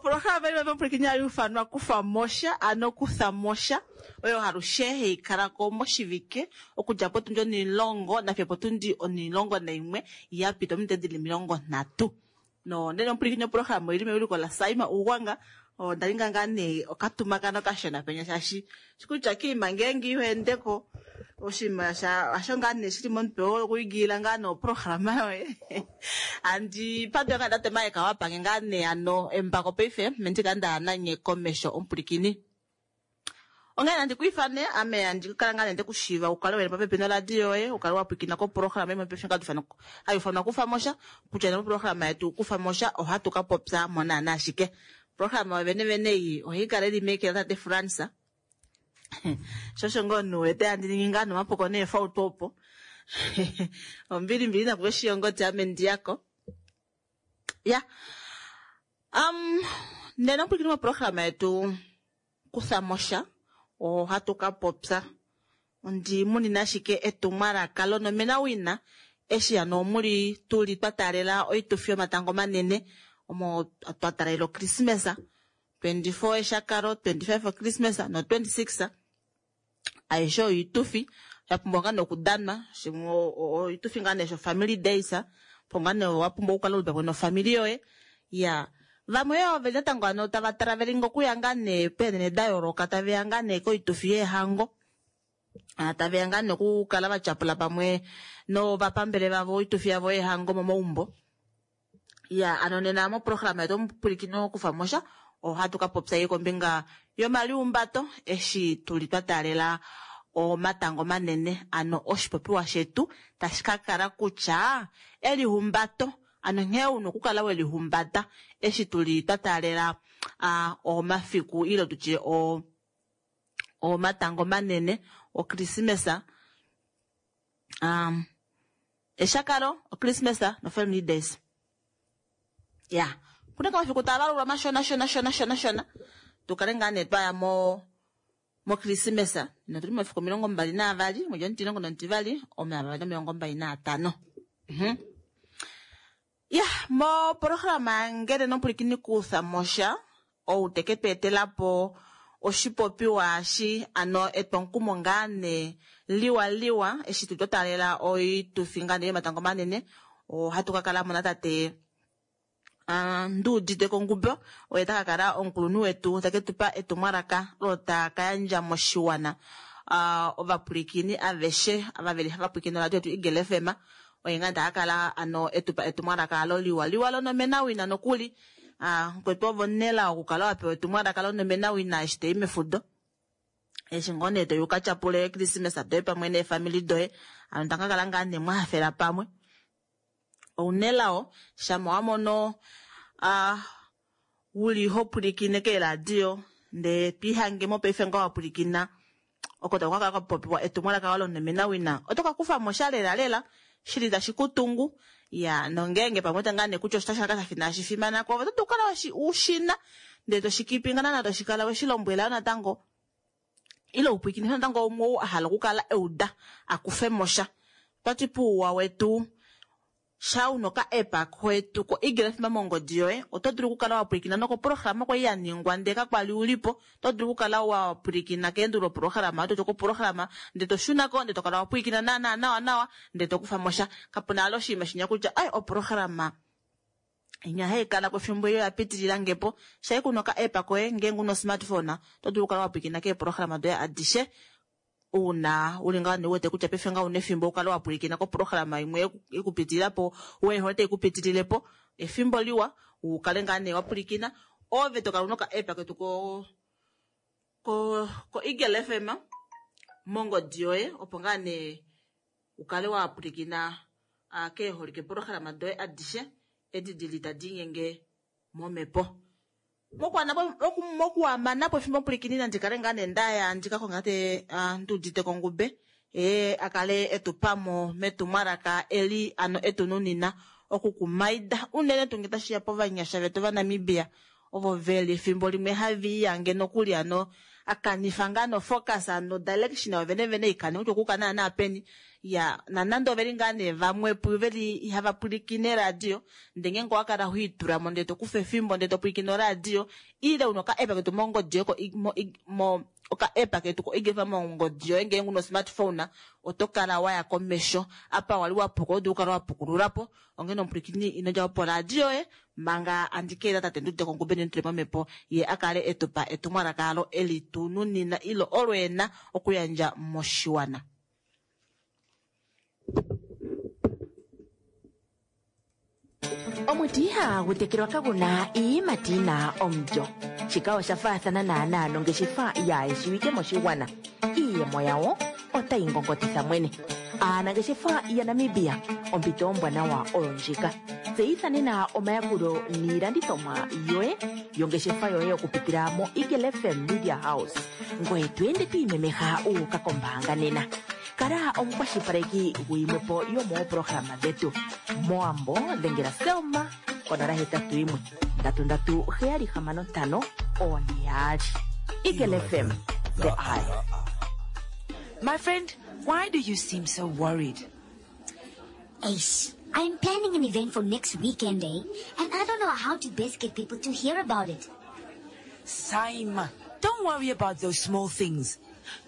Oprograma imwe mopwilikini hayi ufanwa kufa mosha, ano kutha mosha, oyo halushe hayi kala ko moshivike okudja potundi 10 nafiyo potundi 11 ya pita ominute dili 30. No nene omupwilikini oprograma oili mewiliko laSaima Ugwanga. Onda ninga ngaa nee okatumakano kashona penya shaashi shikutya kiima ngeenge iho endeko oshinima hasho ngaa nee shili momutwe wokuigiila ngaa nee oprograma yoye. Andi pandula ngaa tate Mike wapange ngaa nee ano embako paife mendika nda nanye komesho omupwilikini. Onghee nandi ku ifane ame andi kala ngaa nee ndekushiiva ukale weli popepi noradio yoye, ukale wa pwilikina koprograma imwe paife hayi ifanwa kufa mosha, kutya nee moprograma yetu kufa mosha ohatu ka popya mo naana ashike. Oprograma yo vene vene ei ohai kala ili meke latate Frans. Shosho ngoo omunhu wete handi ningi ngaa nomapuko neefauto opo. Ombili mbili nakuve shiyongoti ame ndiyako. Ya. Nena omupwilikini moprograma yetu kufa mosha ohatu ka popya ondi munina ashike etumwalaka lonomena wina eshi ano omuli tuli twa taalela oitufi yomatango manene omo twa taalela Christmas 24 eshakalo 25 Christmas no 26 aishe oitufi ya pumbwa ngaa nokudanwa shimwe oitufi ngaa nee sho family days po ngaa nee wa pumbwa okukala uli pamwe nofamili yoye. Ya vamwe yoo veli natango ano tava traveling okuya ngaa nee peenene da yooloka taveya ngaa nee koitufi yeehango. Taveya ngaa nee okukala va tyapula pamwe novapambele vavo oitufi yavo yeehango momaumbo. Ya ano nena moprograma yetu omupwilikini okufa mosha ohatu ka popya ye kombinga yomaliumbato eshi tuli twa taalela omatango manene ano oshipopiwa shetu tashi ka kala kutya elihumbato ano nghee una okukala welihumbata eshi tuli twa taalela omafiku ile tutye omatango manene oKrismesa eshakalo oKrismesa no family days. Ya kuna kamafiku taa valulwa mashona shona shona shona shona tukale ngaa nee twaya moKrismesa notuli momafiku 22 mwedhi 12 2025. Ya moprograma ngele nomupwilikini kutha mosha ou teke tu etelapo oshipopiwa shi ano etwomukumo ngaa nee liwa liwa eshi tu taalela oitufi ngaa nee yomatango manene ohatu ka kala mo natate Nduudite Kongube oye taka kala omukulunhu wetu take tupa etumwalaka olo taka yandja moshiwana ovapwilikini aveshe ava veli hava pwilikine oradio yetu Eagle FM oye ngaa taka kala ano etupa etumwalaka alo liwa liwa lonomena wina nokuli mukwetu ovo nela okukala wapewa etumwalaka lonomena wina eshi toyi mefudo eshi ngoo nee toyi uka tyapule Christmas doye pamwe neefamili doye ano taka kala ngaa nee mwahafela pamwe. Ounelao shama wamono uli ho pwilikine keeradio ndee twiihange mopaife nga wapwilikina oko taku kakala kapopiwa etumwalaka lonomena wina oto ka kufamo sha lela lela shili tashi kutungu. Ya nongeenge pamwe ngaa nee kutya oshitashi shaka inashi fimana ko oto dulu okukala ushina ndee toshikipinga naana toshikala weshilombwela natango ile upwilikine natango umwe ou a hala okukala euda akufe mosha. Otwati puuwa wetu sha una oka app kwetu ko Eagle FM mongodi yoye oto dulu okukala wa pwilikina nokoprograma kwali ya ningwa ndee kakwali ulipo oto dulu okukala wa pwilikina keendulo programa oto koprograma ndee toshunako ndee tokala wa pwilikina naana nawa nawa ndee tokufa mosha. Kapuna alo oshinima shinya kutya ai oprograma inya haikala kwefimbo iyo yapitilila ngepo shai kuna oka app koye ngeenge una smartphone oto dulu okukala wa pwilikina keeprograma doye adishe una uli ngaa nee uwete kutya paife ngaa una efimbo ukale wa pwilikina koprograma imwe ikupitilila po weehole taikupitililepo efimbo liwa ukale ngaa nee wa pwilikina ove tokala una oka app ketu ko Eagle FM mongodi yoye opo ngaa nee ukale wa pwilikina keeholike programa doye adishe edi dili tadi nyenge momepo. Mokuamanapo efimbo pwilikini nandi kale ngaa nee ndaya ndika kongate Nduudite Kongube akale etupamo metumwalaka eli ano etununina okukumaida unene tuu ngee tashiya povanyasha vetu vaNamibia ovo veli efimbo limwe haviiyange nokuli ano akanifa ngaa nofocus ano direction yo vene vene ikane kutya okuka naana peni. Ya, nanande oveli ngaa nee vamwe pu veli ihava pwilikine radio, ndele ngeenge owa kala ho itulamo ndele to kufa efimbo ndele to pwilikine oradio, ile una oka app ketu mongodi yoye ko oka app ketu ko Eagle FM mongodi yoye ngeenge una osmartphone, oto kala waya komesho. Apa wali wa puka oto dulu okukala wa pukulula po. Onghene omupwilikini ino dja po poradio yoye manga andi keeta tate Ndudeko Ngube ndimutule momhepo ye a kale e tu pa etumwalaka alo e li tu nunina ilo olo e na okuyandja moshiwana. Omuti ihaagu tekelwa kagu na iiyimati yi na omulyo. Shika osha faathana naanaa nongeshefa yaayeshiwike moshigwana. Iiyemo yawo otayi ngongotitha mwene. Aanangeshefa yaNamibia, ompito ombwanawa oyo ndjika. Tseyitha nena omayakulo niilandithomwa yoye yongeshefa yoye okupitila moEagle FM Media House. Ngoye to ende to imemeha wu uka kombaanga nena. Kala omukwashilipaleki guyimwe po yomooprograma dhetu. Mowambo dhengela Selma konola 81 33 765 42. Eagle FM, the eye. My friend, why do you seem so worried? Ace, I'm planning an event for next weekend, eh? And I don't know how to best get people to hear about it. Saima, don't worry about those small things.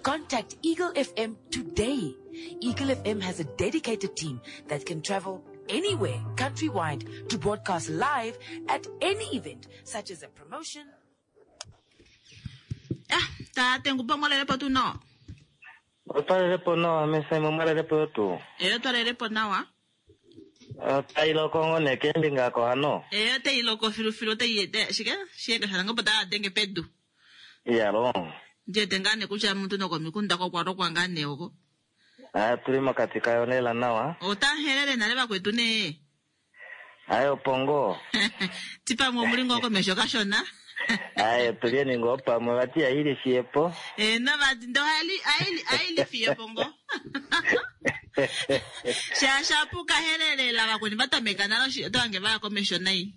Contact Eagle FM today. Eagle FM has a dedicated team that can travel anywhere countrywide to broadcast live at any event, such as a promotion. Ah, tate Ngube mwalelepo tuu nawa? Otwalelepo nawa mesaimo mwalelepo yo tuu. Eyo twalelepo nawa. Otai loko ngoo nee keembinga ako hano? Eyo otai loko filufilu otai shike shiyenga shaNangombe ota denge pedu. Iyalo. Ndiwete ngaa nee kutya omuntu nokomikunda ko okwa lokwa ngaa nee oko. Aa tuli mokati kayo lela nawa. Ota helele nale vakwetu nee. Aye opo ngoo. Ti pamwe omuli ngoo komesho kashona. Aye tulyeni ngoo pamwe vati aili fiyepo. Eeno vati ndo aili aili fiyepo ngoo. Shaashi apu kahelelela vakweni va tameka nale oto hange vaya komesho nai.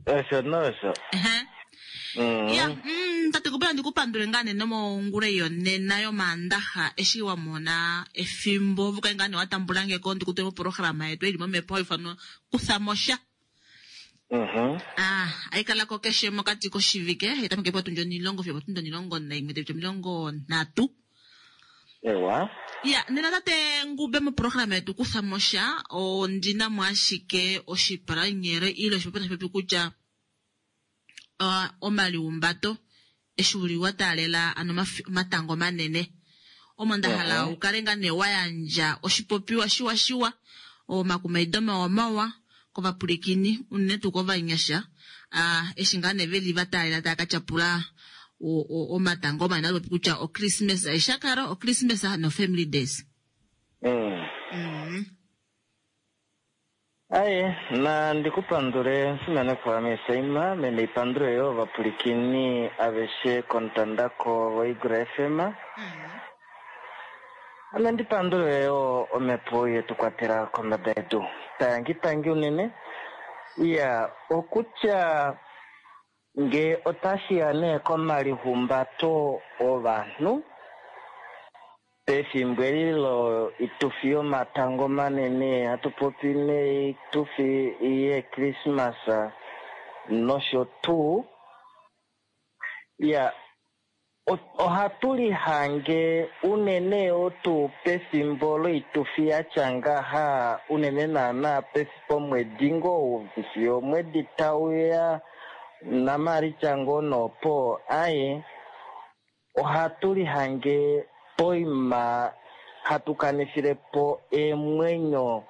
Osho nosho. Ehe. Ya, tate Gubela ndi ku pandule ngaa nee nomongula ei yonena yomaandaxa eshi wa mona efimbo ove ukale ngaa nee wa tambula nge ko ndi ku tule moprograma yetu ei li momhepo hai ifanwa Kutha mo sha. Ah, hai kala ko keshe mokati koshivike, hai tameke potundi onilongo fiyo opotundi 11 taipiti 30. Ewa. Ya, nena tate Ngube moprograma yetu Kutha mo sha ondi na mo ashike oshipalanyele ile oshipopiwa tashi popi kutya omaliumbato eshi uli wa taalela ano omatango manene. Omo nda hala u kale ngaa nee wa yandja oshipopiwa shiwa shiwa, omakumaido mawa mawa kovapwilikini unene tuu kovanyasha eshi ngaa nee veli va taalela tava ka tyapula omatango manene hatu popi kutya oChristmas eshi sha kala oChristmas noFamily Days. Aye, na ndi ku pandule Musimanekwa Mesaima, ame naipandule yoo ovapwilikini aveshe komutandako woEagle FM. Ame ndi pandule yoo omhepo ye tu kwatela kombada yedu. Tangi tangi unene. Iya, okutya nge otashi ya nee komalihumbato ovanhu, Pefimbo eli loitufi yomatango manene, hatu popi noitufi yeKrismasa nosho tuu, ya, ohatu lihange unene yoo tuu pefimbo loitufi ya tya ngaha, unene naana pomwedi ngoo ou fiyo omwedi tau ya, naMaalitsa ngoo noopo, aye, Ohatu lihange poima hatu kanifile po eemwenyo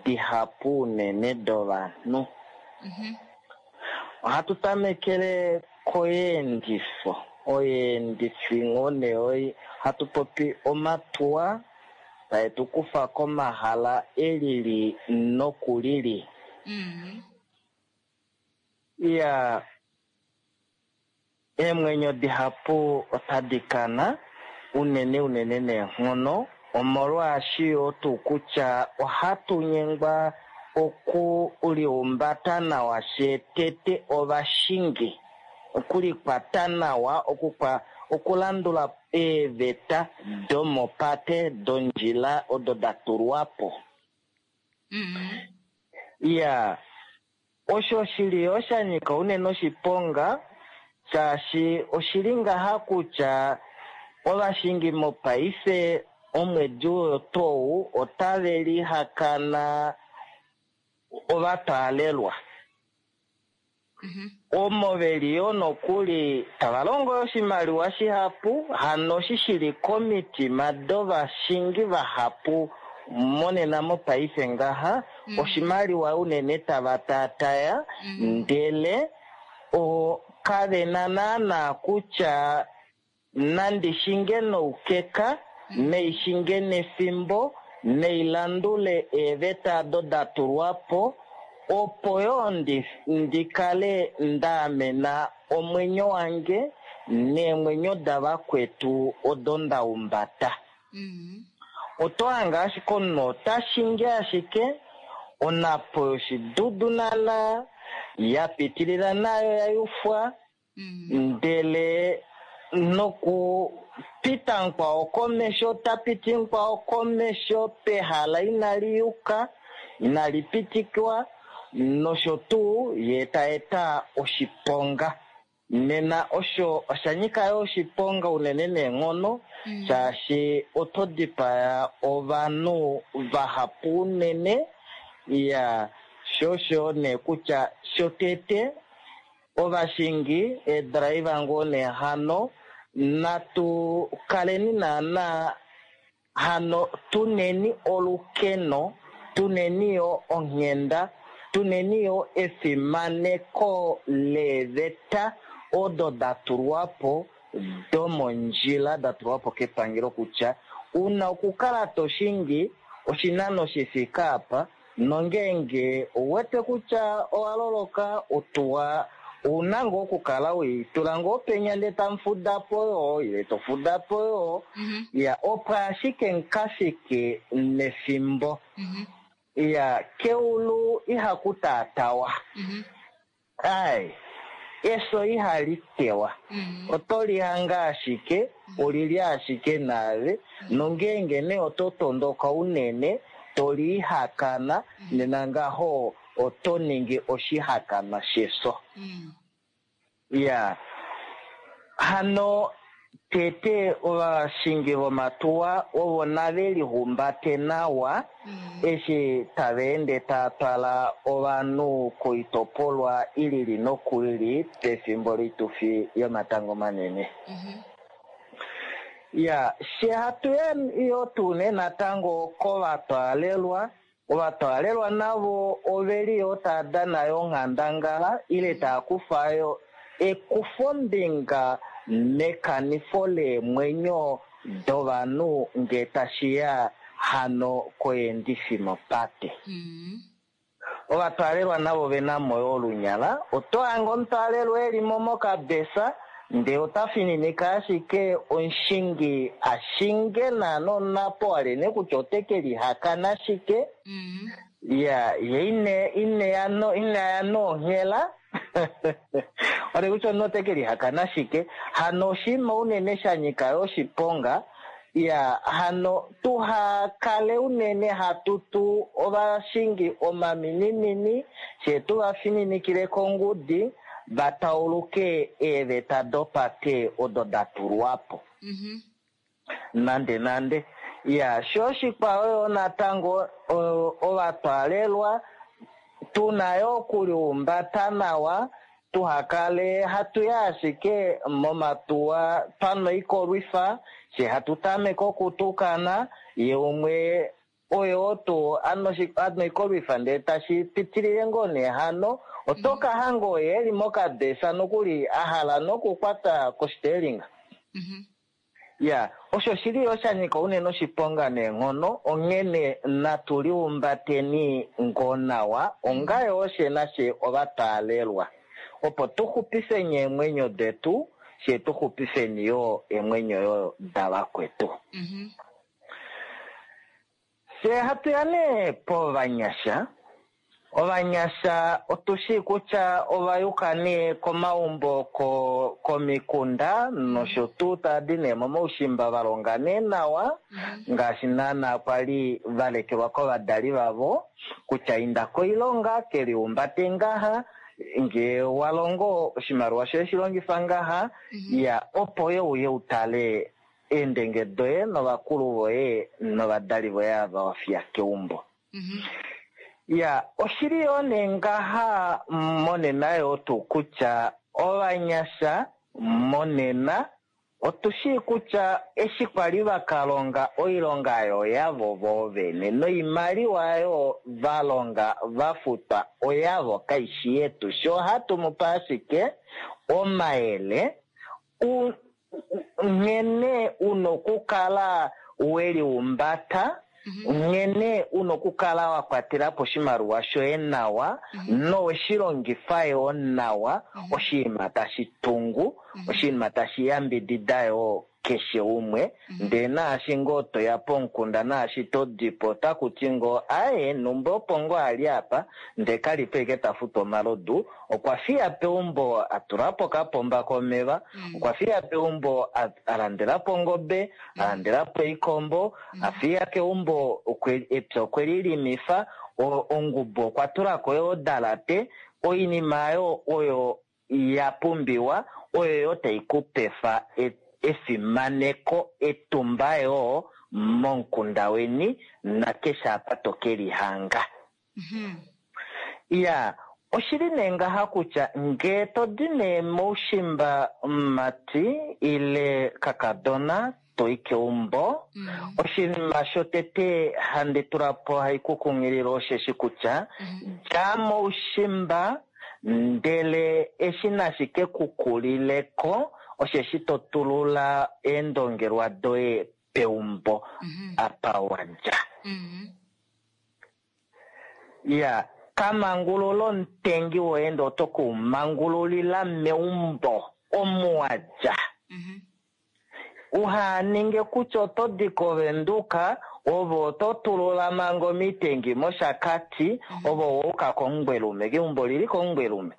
dihapu unene dovanhu. Ohatu tamekele koyeendifo, oyeendifo ngoo nee oi, hatu popi omatuwa tae tu kufa komahala e lili noku lili. Iyaa. Eemwenyo dihapu otadi kana, unene unene neenghono, omolwaashi yoo tuu kutya ohatu nyengwa okulihumbata nawa fyee tete ovashingi, okulikwata nawa, okulandula eeveta domopate dondjila odo da tulwa po. Iya, osho shili yo sha nyika unene oshiponga, shaashi oshili ngaha kutya ovashingi mopaife omwedi oyo tou otave lihakana ovatwaalelwa. Omo veli yo nokuli tava longo oshimaliwa shihapu, hano shi shili komitima dovashingi vahapu monena mopaife ngaha, oshimaliwa unene tava taataya, ndele kave na naana kutya nandi shinge noukeka, naishinge nefimbo, nailandule eeveta ado da tulwa po, opo yo ndikale ndaamena omwenyo wange neemwenyo davakwetu odo nda umbata. Oto hanga ashike omunhu ota shingi ashike onapo yoshidudu nana ya pitilila nayo ya yufwa, ndele nokupita mukwao komesho ta piti mukwao komesho pehala inali yuka, inali pitikwa, nosho tuu ye ta eta oshiponga. Nena osho osha nyika yo oshiponga unene neenghono, shaashi oto dipaya ovanhu vahapu unene. Ya sho nee kutya shotete ovashingi eedraiva ngoo nee hano natu kaleni naana hano tuneni olukeno, tuneni yo onghenda, tuneni yo efimaneko leeveta odo da tulwa po domondjila, da tulwa po kepangelo kutya una okukala to shingi oshinano shi fike apa, nongeenge ouwete kutya owa loloka otuwa, ouna ngoo okukala weitula ngoo penya ndele tamu fuda po yo, ile to fuda po yo, ya opo ashike mukafike nefimbo. Ya keulu ihaku taatawa. Ai, efyo ihali tewa. Oto lihanga ashike, olili ashike naave, nongeenge nee oto tondoka unene, to lihakana, nena ngaho oto ningi oshihakanwa shefyo. Ya hano tete ovashingi vomatuwa ovo nave lihumbate nawa eshi tava ende tava twala ovanhu koitopolwa ilili nokuili pefimbo loitufi yomatango manene. Ya she hatu ya yo tuu nee natango kovatwaalelwa. Ovatwaalelwa navo oveli yo tava dana yo onghandangala ile tava kufa yo ekufombinga mekanifo leemwenyo dovanhu nge tashiya hano koyendifi mopate. Ovatwaalelwa navo vena mo yo olunyala. Oto hange omutwaalelwa eli mo mokabesa ndee ota fininika ashike omushingi ashinge naana onapo alene kutya ote ke lihakana ashike. Ya ye inaya nonghela ore kutya omunhu ote ke lihakana ashike. Hano oshinima unene sha nyika yo oshiponga. Ya hano tuha kale unene hatutu ovashingi omaminimini, she tuva fininikile kongudi va tauluke eeveta dopate odo da tulwa po. Nande nande. Ya sho oshikwao yo natango ovatwaalelwa tuna yo okulihumbata nawa, tuhakale hatu ya ashike momatuwa twanwa oikolwifa, she hatu tameke okutukana, ye umwe oyo tuu anwa oikolwifa ndele tashi pitilile ngoo nee hano, oto ka hanga oye eli mokabesa nokuli a hala nokukwata koshiteelinga. Ya osho shili yo sha nyika unene oshiponga neenghono, onghene natu liumbateni ngoo nawa onga yoo she nashe ovatwaalelwa, opo tu xupifeni eemwenyo detu, she tu xupifeni yo eemwenyo yo davakwetu. Fye hatu ya nee povanyasha. Ovanyasha otu shii kutya ova yuka nee komaumbo. Komikunda nosho tuu tava di nee momaushimba va longa nee nawa ngaashi naana kwali va lekelwa kovadali vavo kutya inda koilonga ke liumbate ngaha ngee wa longo oshimaliwa shoye shi longifa ngaha ya opo ye uye u tale eendenge doye novakulu voye novadali voye ava wa fiya keumbo. Ya, oshili yoo nee ngaha monena yoo tuu kutya ovanyasha monena otu shii kutya eshi kwali va ka longa oilonga oyo yavo voo vene noimaliwa oyo va longa va futwa oyavo kaishi yetu. Sho ohatu mu pa ashike omayele nghene una okukala we liumbata, nghene una okukala wa kwatela po oshimaliwa shoye nawa nowe shi longifa yoo nawa, oshinima tashi tungu, oshinima tashi yambidida yoo keshe umwe. Ndee naashi ngoo toya pomukunda naashi to dipo otaku ti ngoo aye numba opo ngoo ali apa ndee kali po ashike ta futwa omalodu, okwa fiya peumbo a tula po okapomba komeva, okwa fiya peumbo a landela po ongobe, a landela po oikombo, a fiya keumbo epya okwe li limifa, ongubu okwa tula ko odalate, oinima ayo oyo ya pumbiwa oyo yo tai ku pefa efimaneko etumba yoo momukunda weni nakeshe apa to ke lihanga. Ya, oshili nee ngaha kutya ngee to di nee moushimba mumati ile kakadona to i keumbo, oshinima shotete handi tula po hai ku kunghilile osheshi kutya dja moushimba ndele eshi nashi ke ku kulileko osheshi to tulula eendongelwa doye peumbo apa wa dja. Ya, ka mangulula omutengi woye ndee oto ke u mangululila meumbo omu wa dja. Uha ninge kutya oto di kOvenduka, ove oto tulula manga omitengi mOshakati, ove owa uka kOmungwelume, keumbo lili kOmungwelume.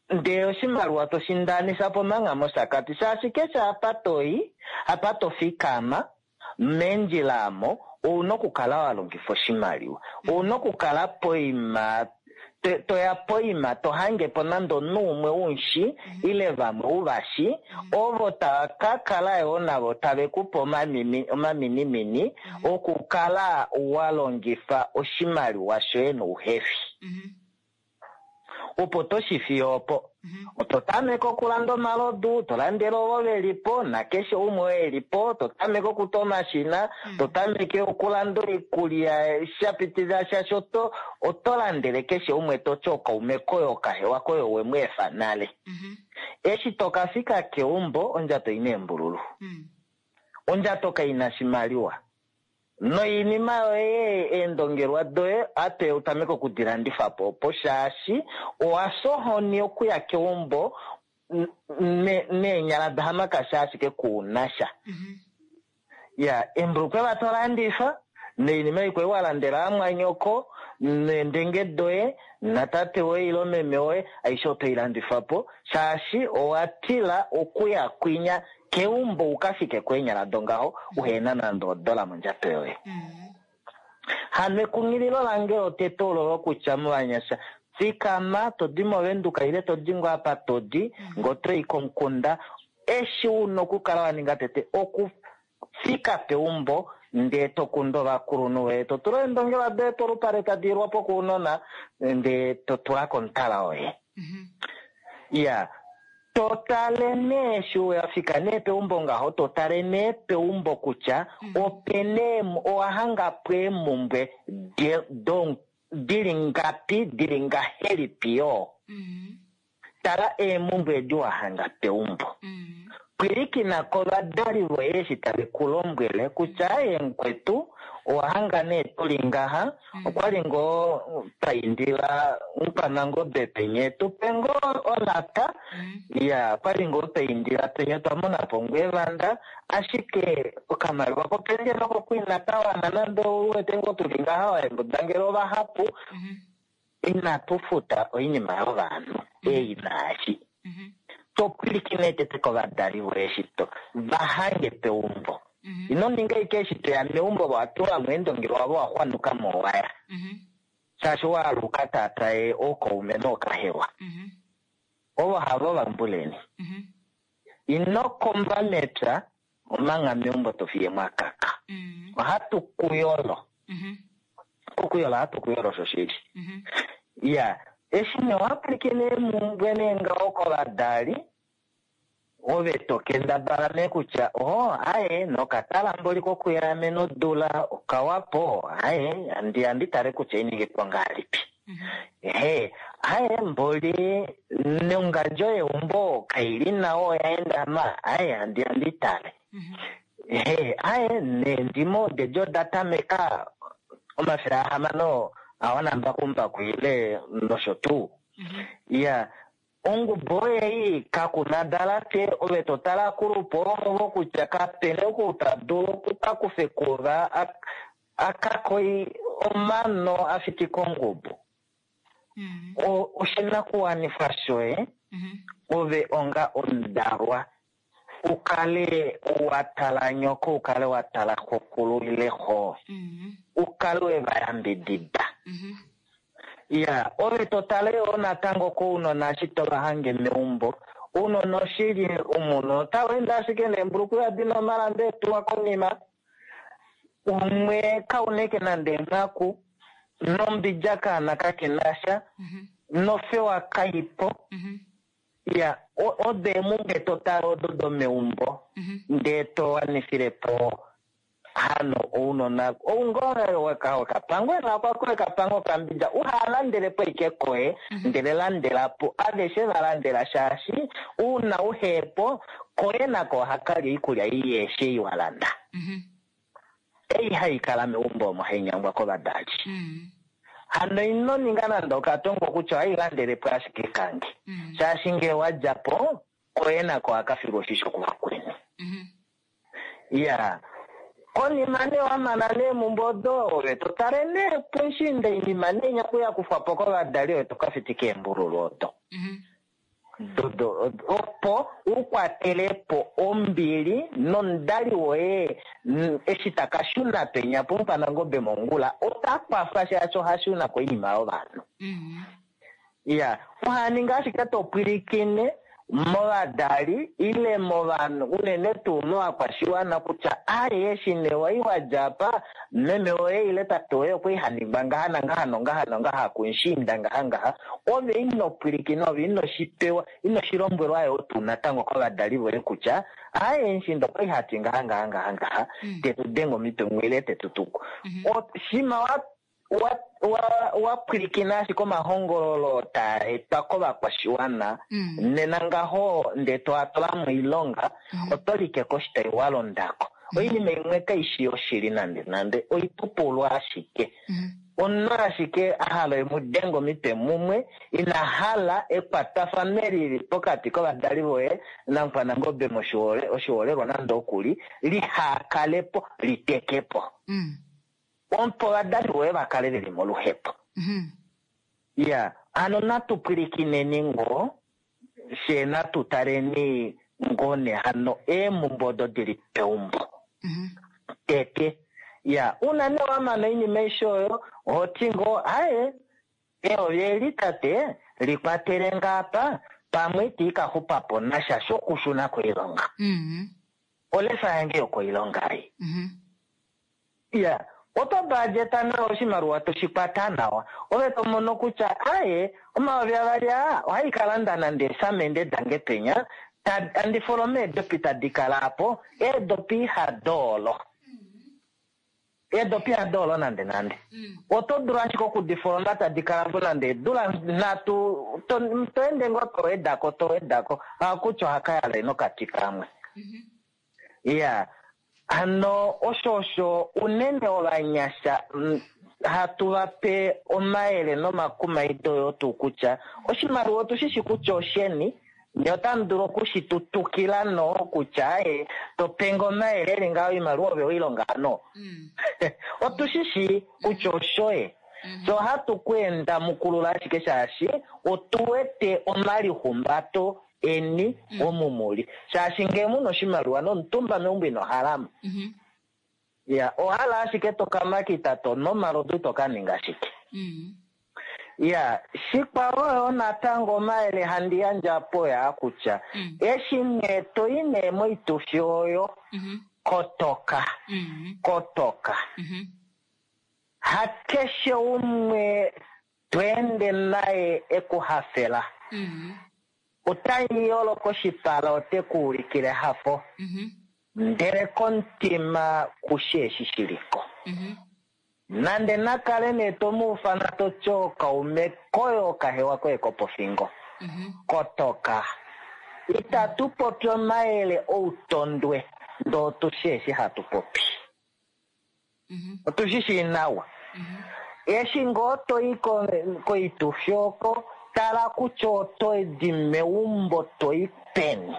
Ndee oshimaliwa to shi ndanisa po manga mOshakati, shaashi keshe apa to i, apa to fikama, meendjila amo, ouna okukala wa longifa oshimaliwa. Ouna okukala poima, to ya poima to hange po nande omunhu umwe u mu shi, ile vamwe u va shi, ovo tava ka kala yoo navo tave ku pe omaminimini okukala wa longifa oshimaliwa shoye nouhefi. Opo to shi fiyo opo. Oto tameke okulanda omalodu, to landele ovo ve li po nakeshe umwe oo e li po, to tameke okuta omashina, to tameke okulanda oikulya sha pitilila shaashi oto landele keshe umwe to ti okaume koye okahewa koye owe mu efa nale. Eshi to ka fika keumbo, ondjato ina eembululu. Ondjato kai na shimaliwa. Noinima yoye, eendongelwa doye, ate u tameke oku di landifa po opo, shaashi owa fya ohoni okuya keumbo neenyala dahamakasha ashike ku na sha. Ya, embulukweva to landifa, noinima ikwao wa landela amwanyoko, neendenge doye, natate woye ile meme woye, aishe oto i landifa po, shaashi owa tila okuya kwinya keumbo u ka fike keenyala dongaho uhena nande odola mondjato yoye. Hano ekunghililo lange lotete ololo kutya movanyasha, fikama to di mOvenduka ile to di ngoo apa to di, ngee oto i komukunda, eshi una okukala wa ninga tete okufika peumbo ndee to kundu ovakulunhu voye, to tula eendongelwa doye polupale tadi ilwa po kounona ndee to tula komutala woye. Ya, to tale nee eshi wa fika nee peumbo ngaho, to tale nee peumbo kutya opena owa hanga po eemumbwe dili ngapi, dili ngahelipi yoo. Tala eemumbwe edi wa hanga peumbo. Pwilikina kovadali voye eshi tave ku lombwele kutya aye mukwetu, owa hanga nee tuli ngaha, okwali ngoo twa indila mukwanangobe penye tupe ngoo olata, ya okwali ngoo twa indila penye twa mona po ngoo evanda, ashike okamaliwa kopendjela oko kwina ka wana nande ou wete ngoo tuli ngaha oembudangelo ovahapu, inatu futa oinima yovanhu ei naashi. To pwilikine tete kovadali voye eshi to va hange peumbo. Ino ninga ashike eshi toya meumbo wa tula mo eendongi wavo wa xwanuka mo waya. Shaashi waaluka taataye ookaume nookahewa. Ovo havo vambuleni. Ino komba mepya omanga meumbo to fiye mwa kaka. Ohatu ku yolo. Okuyola ohatu ku yolo shoshili. Ya, eshi nee owa pwilikine eemhumbwe nee ngaho kovadali, ove to kendabala nee kutya oho aye nokatala mboli kokuyaamena odula okawapo, aye handi handi tale kutya oininge po ngahelipi. Ehe, aye mboli nongandjo yeumbo kaili nawa oya endama, aye handi handi tale. Ehe, aye neendimo odedi oda tameka 600 a wana mbakumbaku ile nosho tuu. Ya, ongubo ei kakuna dalate ove to tala kulupo ovo kutya kapena oku ta dulu okukakufa ekuva akakoi omano a fitika ongubo. Oshinakuwanifwa shoye ove onga omudalwa ukale wa tala nyoko, ukale wa tala xokulu ile xo, ukale we va yambidida. Ya, ove to tale yoo natango kounona eshi to va hange meumbo. Ounona oshili omunhu otau ende ashike neembulukweya dina omalamba etuwa konima. Umwe kauneke nande enghaku, nombidja kaana kake na sha, nofewa kaipo. Ya, odo eemhumbwe to tale odo domeumbo, ndee to wanifile po hano ounona. Oungoo wekapangwe nako koye kapango okambidja, uhalandele po ike koye, ndele landela po aveshe va landela, shaashi uuna uhepo koye nako ohakalya oikulya ei yeeshe ei wa landa. Ei hai kala meumbo omo hai nyangwa kovadali. Hano ino ninga nande okatongo kutya ohai landele po ashike kange. Shaashi ngee wa dja po, koye nako ohaka filwa oshisho kuvakweni. Ya, konima nee wa mana neemhumbwe odo, ove to tale nee puushiinda oinima nee inya ya kufwa po kovadali, ove to ka fitika eembululu odo. Dodo, opo u kwatele po ombili nomudali woye eshi ta ka shuna penya pOmukwanangobe mongula, ota kwafa shaashi oha shuna koinima yovanhu. Ya, oha ninga ashike to pwilikine movadali ile movanhu, unene tuu movakwashiwana kutya aye eshi nee wai wa dja apa, meme woye ile tate woye okwa li ha ningwa ngaha nangaha nongaha nongaha kumushiinda ngaha ngaha, ove ino pwilikina, ove ino shi pewa, ino shi lombwelwa yoo tuu natango kovadali voye kutya aye mushiinda okwa li ha ti ngaha ngaha ngaha ngaha, te tu denge omitwe mumwe ile te tu tuku. Shima wa wa wa pwilikina ashike omahongololo taa etwa kovakwashiwana, nena ngaho ndee to a tula moilonga, oto like koshitai wa londako. Oinima imwe kaishi yoshili nande nande, oipupulu ashike. Omunhu ashike a hala emu denge omitwe mumwe, ina hala ekwatafano eli lili pokati kovadali voye naMukwanangobe oshiholelwa nande okuli, lihakale po, liteke po. Opo ovadali voye va kale ve li moluhepo. Ya, hano natu pwilikineni ngoo, fye natu taleni ngoo nee hano eemhumbwe odo di li peumbo. Tete. Ya, una nee wa mana oinima aishe oyo, oho ti ngoo, aye, eyovi eli tate, li kwatele ngaa apa, pamwe itii ka xupa po nasha shokushuna koilonga. Olefa yange yokoilonga ei. Ya, oto budgeta nawa oshimaliwa to shi kwata nawa. Ove to mono kutya aye, 2000 aa ohai ka landa nande eesamende dange penya, andi foloma eedopi tadi kala apo, eedopi ihadoolo. Eedopi ihadoolo nande nande. Oto dulu ashike okudifoloma tadi kala po nande eedula 3, to ende ngoo to wedako, to wedako, hakutya ohaka yala nokati kamwe. Ya, hano osho osho unene ovanyasha hatu va pe omayele nomakumaido yoo tuu kutya oshimaliwa otu shi shi kutya osheni, nye otamu dulu oku shi tutukila no kutya aye to penge omayele eli ngaho oimaliwa ove oilonga hano. Otu shi shi kutya oshoye. So ohatu ku enda mukulula ashike shaashi otu wete omalihumbato. eni omu muli. Shaashi ngee muna oshimaliwa nomutumba meumbo ino halamo. Ya, ohala ashike to kamakita to nu omalodu ito ka ninga shike. Ya, shikwao yo natango omayele handi yandje apo oyaa kutya, eshi nee to i nee moitufi oyo, kotoka, kotoka. Hakeshe umwe to ende naye e ku hafela. Ota yolo koshipala ote ku ulikile ehafo, ndele komutima kushi eshi shi li ko. Nande na kale nee to mu ufana to ti ookaume koye okahewa koye kopofingo. Kotoka. Itatu popi omayele outondwe, ndee otu shi eshi hatu popi. Otu shi shii nawa. Eshi ngoo to i koitufi oko, tala kutya oto di meumbo to i peni,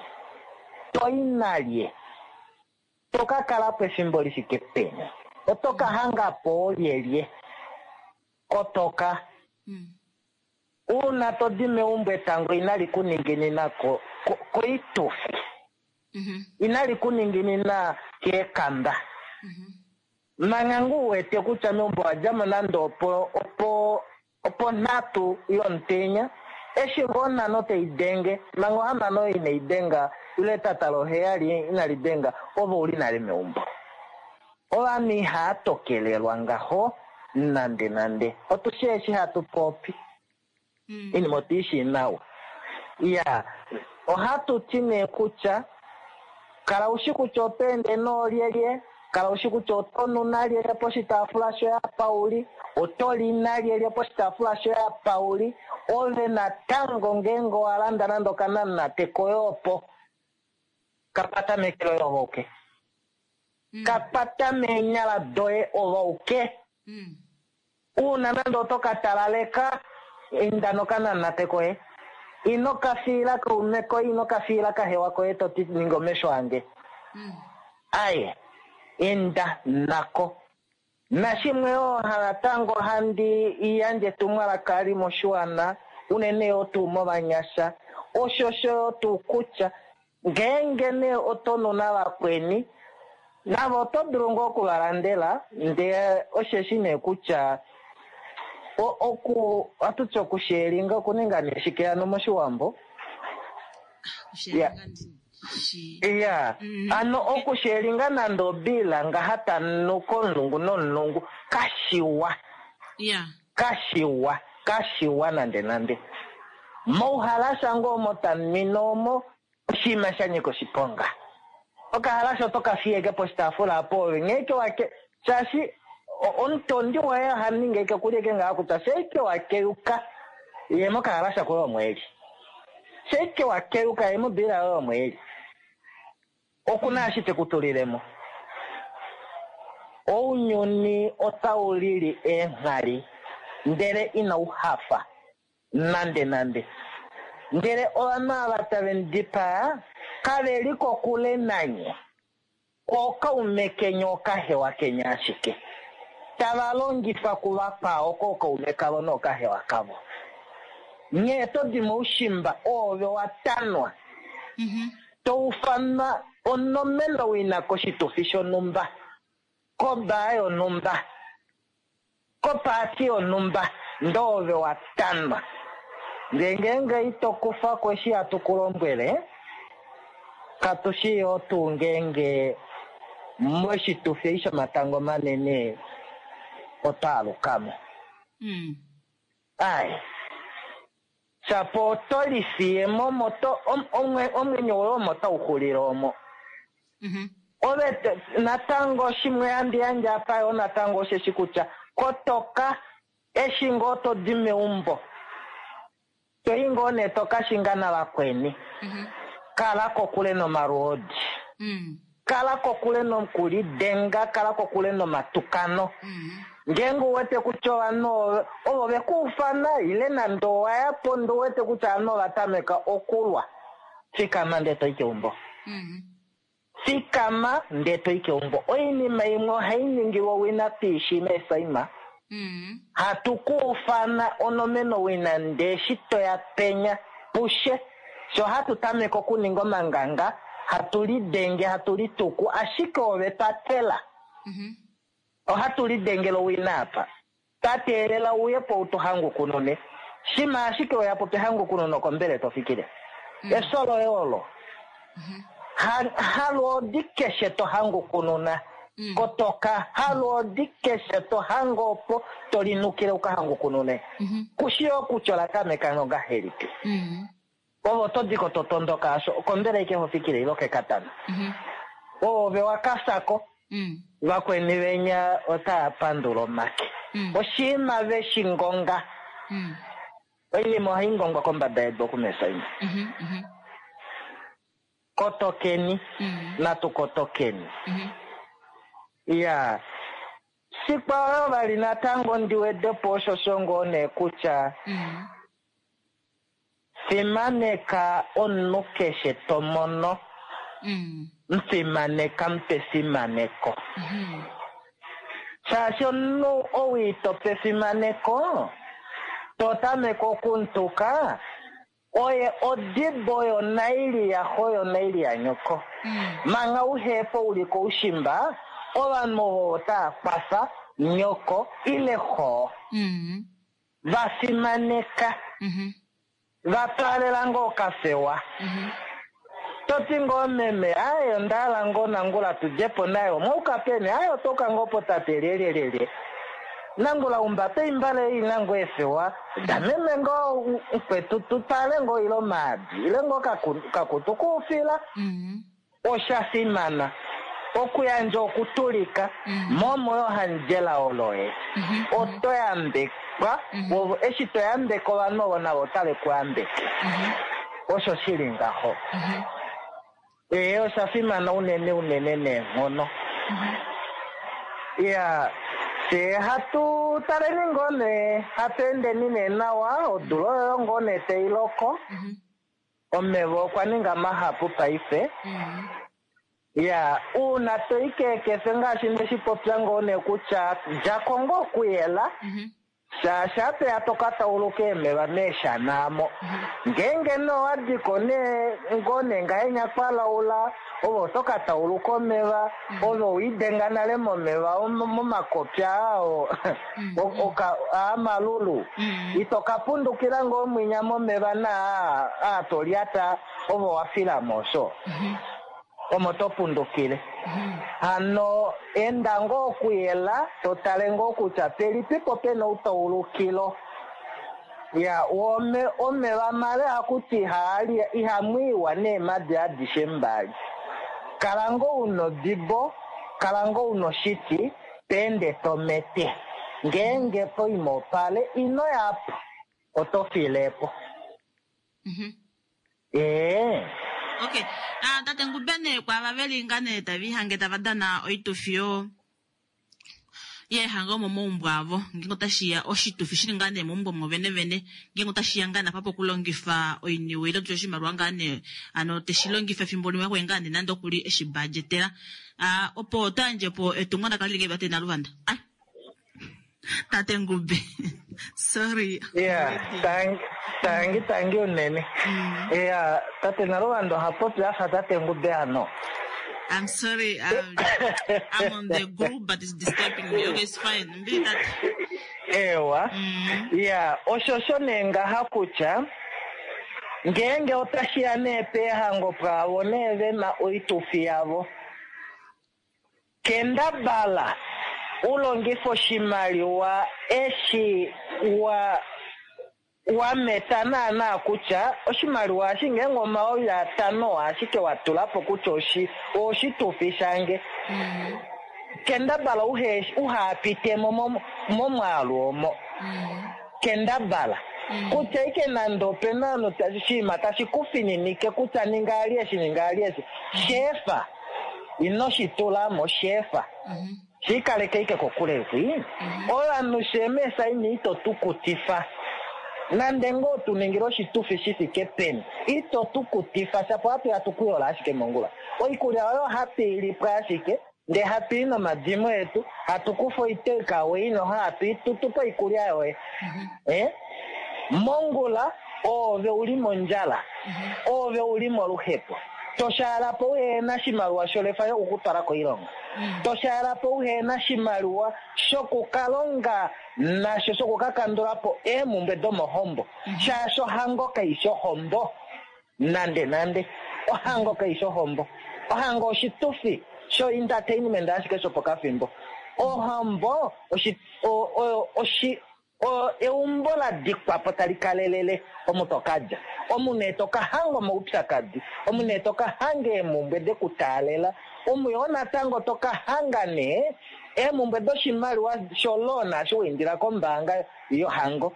to i nalye, to ka kala po efimbo li fike peni, oto ka hanga po oolyelye. Kotoka. Uuna to di meumbo etango inali ku ninginina koitufi, inali ku ninginina keekamba. Manga ngoo u wete kutya meumbo owa dja mo nande opo, opo, oponhatu yomutenya, eshi ngoo onhano tai denge, manga ohamano inai denga, ile etata loheyali inali denga, ove ou li nale meumbo. Ovanhu ihava tokelelwa ngaho nande nande. Otu shii eshi hatu popi. Oinima otu i shii nawa. Iya, ohatu ti nee kutya, kala u shi kutya oto ende noolyelye, kala u shi kutya oto nu nalyelye poshitaafula shoye apa u li, oto li nalyelye poshitaafula shoye apa u li, ove natango ngeenge owa landa nande okanamunate koye opo, ka kwata meke loye ove auke. Ka kwata meenyala doye ove auke. Uuna nande oto ka talaleka, inda nokanamate koye. Ino ka fiila kaume koye, ino ka fiila kahewa koye to ti, Ninga omesho ange. Aye, inda nako. Nashimwe yoo natango handi yandje etumwalaka li moshiwana, unene yoo tuu movanyasha, oshosho yoo tuu kutya ngeenge nee oto nu navakweni, navo oto dulu ngoo oku va landela, ndee osheshi nee kutya oku, ohatu ti okusheelinga, okuninga nee shike hano moshiwambo? Okusheelinga ndi shi. Iya, ano okusheelinga nande obiila ngaha ta nu komulungu nomulungu, kashiwa. Kashiwa, kashiwa nande nande. Mouhalasha ngoo omo ta nwine omo, oshinima sha nyika oshiponga. Okahalasha oto ka fiyeke poshitaafula apo ove nghee ke wa ke, shaashi omutondi woye oha ningi eke ku lyeke ngaha kutya sheike wa keyuka ye mokahalasha koye omo eli. Sheike wa keyuka ye mobiila yoye omo eli. Oku na eshi te ku tulile mo. Ounyuni otau lili eenghali, ndele inau hafa nande nande. Ndele ovanhu ava tave mu dipaa kave li kokule nanye, ookaume keni ookahewa keni ashike, tava longifa kuvakwao kookaume kavo nookahewa kavo. Nghee to di moushimba, oove wa tanwa, to ufanwa onomenawina koshitufi shonhumba, kobaa yonhumba, kopaati yonhumba, ndee oove wa tanwa. Ndee ngeenge ito kufa ko eshi hatu ku lombwele, katu shii yoo tuu ngeenge moshitufi eshi shomatango manene oto aluka mo. Ai, shapo oto lifiye mo omo to, omwenyo woye omo tau xulile omo. Ove natango shimwe handi yandje apa yoo natango osheshi kutya kotoka eshi ngoo to di meumbo, to i ngoo nee to ka shinga navakweni, kala kokule nomalwoodi, kala kokule nokulidenga, kala kokule nomatukano. Ngeenge u wete kutya ovanhu ovo ve ku ufana ile nande owa ya po ndee u wete kutya ovanhu ova tameka okulwa, fikama ndee to i keumbo. Fikama ndee to i keumbo. Oinima imwe ohai ningilwa owina piishi meesaima. Hatu ku ufana onomena owina ndee eshi to ya penya, pushe. Sho hatu tameke okuninga omanganga, hatu lidenge, hatu lituku, ashike ove patela. Ohatu lidengele owina apa. Twa teelela uye po u tu hangukunune. Shima ashike weya po pehangukununo kombele to fikile. Efyo loye olo. Ha, halwoodi keshe to hangukununa. Kotoka, halwoodi keshe to hange opo to linukile u ka hangukunune. Ku shii okutya ola tameka ngahelipi. Ove oto di ko to tondoka asho, okombele ike ho fikile ile okekatana. Ove wa ka fya ko. Vakweni venya otava pandula omake. Oshinima ve shi ngonga. Oinima ohai ngongwa kombada yedu oku mesaina. Kotokeni, natu kotokeni. Iya. Shikwao vali natango ndi wede po osho sho ngoo nee kutya fimaneka omunhu keshe to mono. Mufimaneka, mu pa efimaneko. Shaashi omunhu ou ito pe efimaneko, to tameke okuntuka, oye odibo yonaili yaxo yonaili yanyoko. Manga uhepo u li koushimba, ovanhu ovo otava kwafa nyoko ile xo. Va fimaneka. Va twaalela ngoo okafewa. To ti ngoo meme, aaye onda hala ngoo nangula tu dje po naye, omwa uka peni? Aaye otwa uka ngoo potate lyelyelyelye. Nangula umbata oimbale ei ina ngoo eefewa dameme ngoo mukwetu tu twale ngoo ile omaadi ile ngoo okakutu koufila. Osha fimana okuyandja okutulika momo yo handjela oloye. Oto yambekwa, eshi to yambeke ovanhu ovo navo otave ku yambeke. Osho shi li ngaho. Ee, osha fimana unene unene neenghono. Iya, fye hatu taleni ngoo nee, hatu endeni nee nawa, odula oyo ngoo nee tai loko. Omeva okwa ninga mahapu paife. Ya, uuna to i keekefe ngaashi nde shi popya ngoo nee kutya dja ko ngoo kuyela, shaashi apeya to ka tauluka eemeva meeshana amo. Ngeenge nee owa di ko nee ngoo nee ngahenya kwa laula, ove oto ka tauluka omeva, ove owe idenga nale momeva momakopi aa aa malulu. Ito ka pundukila ngoo mwinya momeva naa aa to lyata, ove owa fila mo osho. Omo to pundukile. Hano enda ngoo okuyela, to tale ngoo kutya pelipipo pena outaulukilo. Ya, omeva male ohaku ti ihamu iwa neemadi adishe mbali. Kala ngoo una odibo, kala ngoo una oshiti, to ende to mete. Ngeenge poima opale, ino ya po, oto file po. Ee. Okay. Tate Ngubene, kwaava ve li ngaa nee tave lihange tava dana oitufi yo yeehango momaumbo avo, ngeenge otashi ya oshitufi shili ngaa nee meumbo omo vene vene, ngeenge otashi ya ngaa nee apa pokulongifa oiniwe ile tutye oshimaliwa ngaa nee hano teshi longifa efimbo limwe hakuye ngaa nee nande okuli eshi budgetela, opo oto yandje po etumwalaka lili ngahelipi tate Naluvanda? Ai. Tate Ngube. Sorry. Yeah, tangi, tangi, tangi unene. Yeah, tate Naluvanda oha popi a fa tate Ngube ano. I'm sorry, I'm on the group, but it's disturbing me. Okay, it's fine. Mbili tate. Ewa. Yeah, osho sho nee ngaha kutya ngeenge otashi ya nee peehango pwaavo nee ve na oitufi yavo. Kendabala u longife oshimaliwa eshi wa wa meta naanaa kutya oshimaliwa eshi ngeenge 5000 ashike wa tula po kutya oshi oshitufi shange. Kendabala uhe uha pite mo momwaalu omo. Kendabala kutya ike nande ope na omunhu oshinima tashi ku fininike kutya ninga ali eshi ninga ali eshi. Sheefa. Ino shi tula mo, sheefa. Shi kaleka ike kokule kwi. Ovanhu sheemesa ini ito tu kutifa. Nande ngoo tu ningile oshitufi shi fike peni, ito tu kutifa, shapo ohatu ya tu ku yola ashike mongula. Oikulya oyo ohatu i li po ashike, ndee hatu i nomadimo etu, hatu kufa oitake away noho hatu i tutu po oikulya yoye. Eh? Mongula. Oove u li mondjala, oove u li moluhepo, to shaala po uhena shimaliwa sholefa yokukutwala koilonga, to shaala po uhena shimaliwa shokukalonga nasho shokukakandula po eemhumbwe domohombo, shaashi ohango kaishi ohombo nande nande. Ohango kaishi ohombo. Ohango oshitufi sho entertainment ashike shopokafimbo. Ohombo oshi oyo oshi eumbo la dikwa po tali kalelele omu to ka dja. Omu nee to ka hanga omaupyakadi, omu nee to ka hanga eemhumbwe de ku taalela, omu yoo natango to ka hanga nee eemhumbwe doshimaliwa sholoan eshi wa indila kombaanga yohango.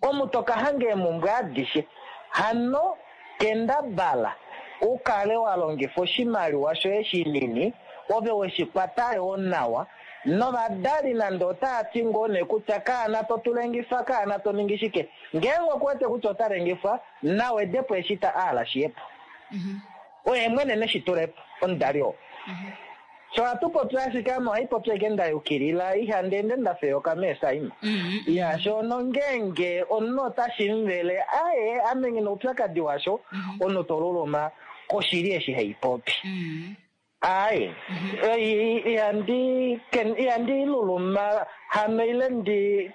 Omu to ka hanga eemhumbwe adishe. Hano kendabala u kale wa longifa oshimaliwa shoye shinini, ove we shi kwata yoo nawa, novadali nande otava ti ngoo nee kutya kaana to tu lengifa, kaana to ningi shike, ngeenge oku wete kutya ota lengifwa, na wede po eshi ta aala shi ye po. Oye mwene neshi tule po, omudali oo. Sho ohatu popi ashike ame ohai popi ashike nda yukilila, ihandi ende nda feyoka meesaima. Ya, sho nongeenge omunhu otashi muvele, aye, ame nghi na oupyakadi washo, omunhu to luluma koshili eshi hai popi. Aye, ihandi ihandi luluma hano ile ndi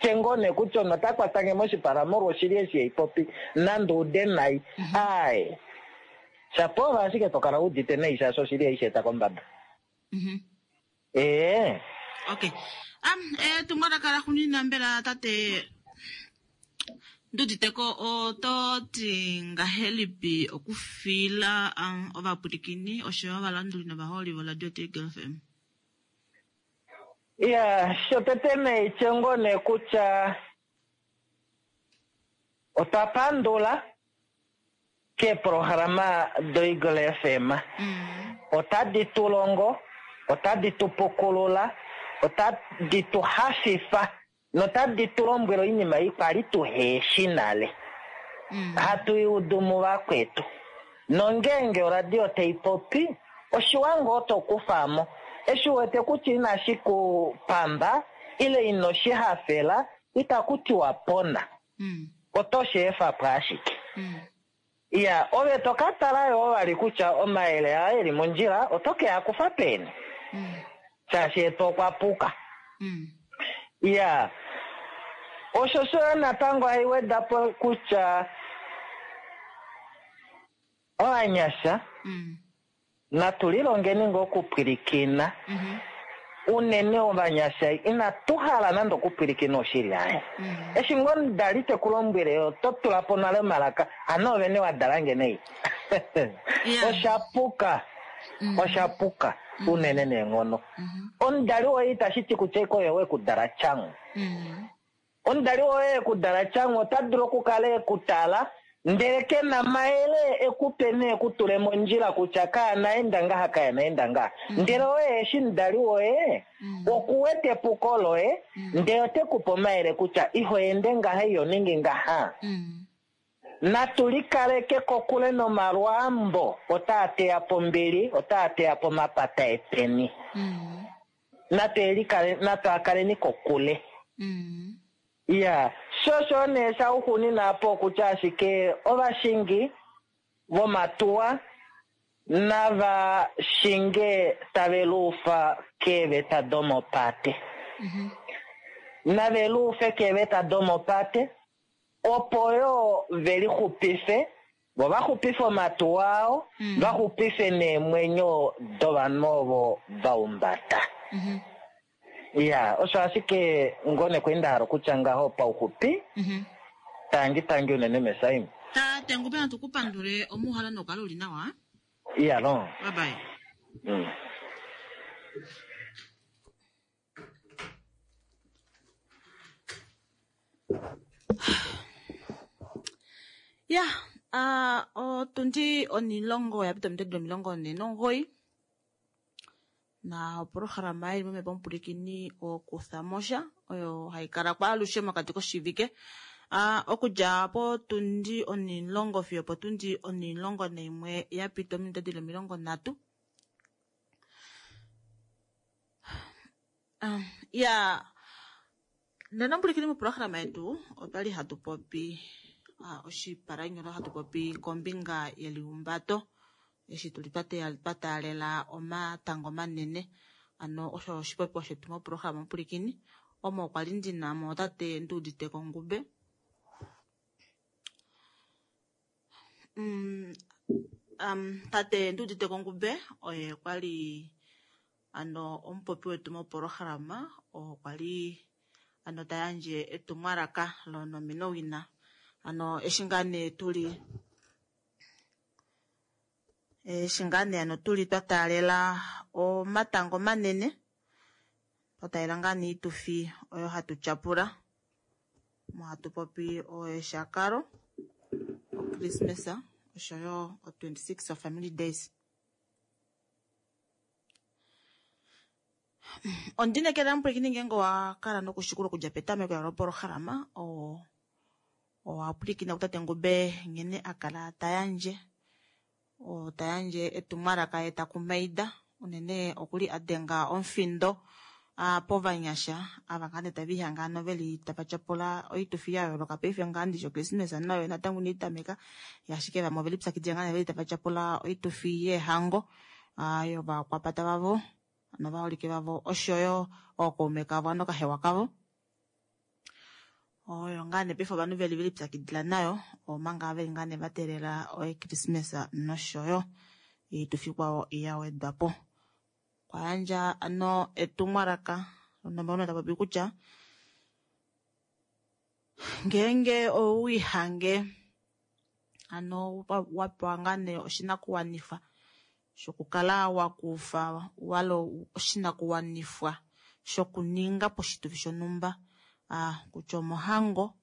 tye ngoo nee kutya omunhu ota kwata nge moshipala molwa oshili eshi hai popi, nande ude nai. Aye. Shapo ove ashike to kala u udite nai shaashi oshili hai shi eta kombada. Ee. Okay. Am, etumwalaka laxuuninwa mbela tate Nduditeko oto ti ngahelipi okufiila um, ovapwilikini osho yo ovalanduli novaholi voRadio Eagle FM? Ya, shotete neitye ngoo nee kutya otwa pandula keeprograma doEagle FM. Otadi tu longo, otadi tu pukulula, otadi tu hafifa notadi tu lombwele oinima ei kwali tuheshi nale. Hatu i udu muvakwetu. Nongeenge oradio tai popi, oshiwa ngoo to kufa mo eshi u wete kutya inashi ku pamba ile ino shi hafela, itaku tiwa pona. Oto shi efa po ashike. Iya, ove to ka tala yoo vali kutya omayele aa e li mondjila oto ke a kufa peni, shaashi etu okwa puka. Iya, osho sho natango hai weda po kutya ovanyasha Natu lilongeni ngoo okupwilikina. Unene ovanyasha inatu hala nande okupwilikina oshili aye. Eshi ngoo nda li te ku lombwele oto tula po nale omalaka, hano ove nee wa dala nge nei. Osha puka, osha puka unene neenghono. Omudali woye itashi ti kutya eke oye we ku dala tyanghu. Omudali woye e ku dala tyanghu ota dulu okukala e ku tala, ndele ke na mayele e ku pe nee ku tule mondjila kutya kaana enda ngaha kaana enda ngaha. Ndele oye eshi omudali woye oku wete epuko loye, ndele ote ku pe omayele kutya iho ende ngaha iho ningi ngaha. Natu likaleke kokule nomalwaambo otaa teya po ombili, otaa teya po omapata eteni. Natu a kaleni kokule. Iya, sho osho nee shauxuuninwa apa okutya ashike ovashingi vomatuwa nava shinge tave luufa keeveta domopate. Nave luufe keeveta domopate opo yo ve lixupife, vo va xupife omatuwa ao, va xupife neemwenyo dovanhu ovo va humbata. Iya, osho ashike ngoo nee nda hala okutya ngaho pauxupi. Tangi tangi unene Mesaim. Tate Ngube natu ku pandule omuuhala nokukala uli nawa. Iya lo. Bye bye. Ya, ah, otundi onilongo ya pita omitwe 49 na opolohalama ili momhepo omupulikini okutha mosha oyo hayi kala kwaalushe mokati koshivike ah, okudja potundi onilongo fiyo potundi 11 ya pita ominute dili 30. Ah, ya nena omupulikini moprograma yetu otwali hatu popi. Oshipalanyolo hatu popi kombinga yelihumbato eshi tuli twa taalela omatango manene. Ano osho oshipopiwa shetu moprograma Omupulikini omo kwali ndina mo tate Nduuditeko Ngube. Tate Nduuditeko Ngube oye kwali ano omupopi wetu moprograma, oo kwali ano ta yandje etumwalaka lonomenowina. Ano eshi ngaa nee tuli eshi ngaa nee ano tuli twa taalela omatango manene, twa taalela ngaa nee oitufi oyo hatu tyapula, omo hatu popi oeshakalo, oChristmas oshoyo o 26 of Family Days. Ondinekela mupwilikini ngeenge owa kala nokushikula okudja petameko lopolohalama, owa pwilikina kutate Ngube nghene a kala ta yandje, ta yandje etumwalaka ye ta kumaida, unene okuli a denga omufindo povanyasha ava ngaa nee tava ihanga ano veli tava tyapula oitufi ya yooloka paife ngaa ndishi oChristmas nayo natango inayi tameka, ashike vamwe oveli pyakidila ngaa nee veli tava tyapula oitufi yeehango yovakwapata vavo novaholike vavo oshoyo ookaume kavo ano kahewa kavo. Oyo ngaa nee paife ovanhu veli veli pyakidila nayo omanga veli ngaa nee va teelela oChristmas noshoyo oitufi ikwao ya wedwa po. Okwa yandja ano etumwalaka nomauno ta popi kutya ngeenge owiihange ano wa pewa ngaa nee oshinakuwanifwa shokukala wa kufa walo oshinakuwanifwa shokuninga poshitufi shonhumba, kutya omohango,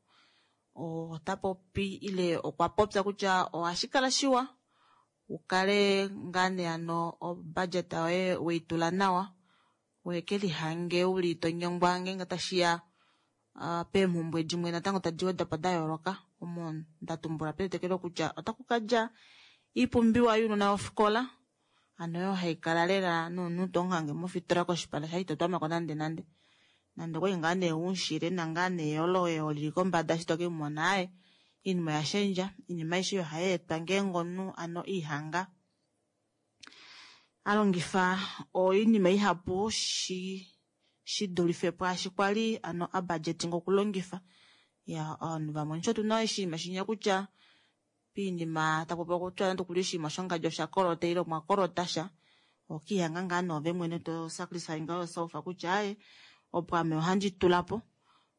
ota popi ile okwa popya kutya ohashi kala shiwa ukale ngaa nee ano obudget yoye weitula nawa, weke lihange uli to nyengwa ngeenge tashiya peemhumbwe dimwe natango tadi wedwa po da yooloka. Omo nda tumbula petetekelo kutya otaku kadja iipumbiwa younona wofikola, ano oyo haikala lela nomunhu to muhange mofitola koshipala shaye ito twamako nande nande. Nande okwali ngaa nee umushile na ngaa nee eyolo lili kombada eshi to ke mumona, aaye iinima oya shendja, iinima aishe oyo hayi etwa ngeenge omunhu ano ihanga a longifa oinima ihapu shi dulife pwaashi kwali ano a budgeting okulongifa. Ya ovanhu vamwe osho tuna oshinima shinya kutya piinima tapopiwa kutya nande okuli oshinima shongadji osha kolota ile omwa kolota sha, okiihanga ngaa noove mwene to sacrifice ngaho yourself kutya aaye opo ame ohandi tula po,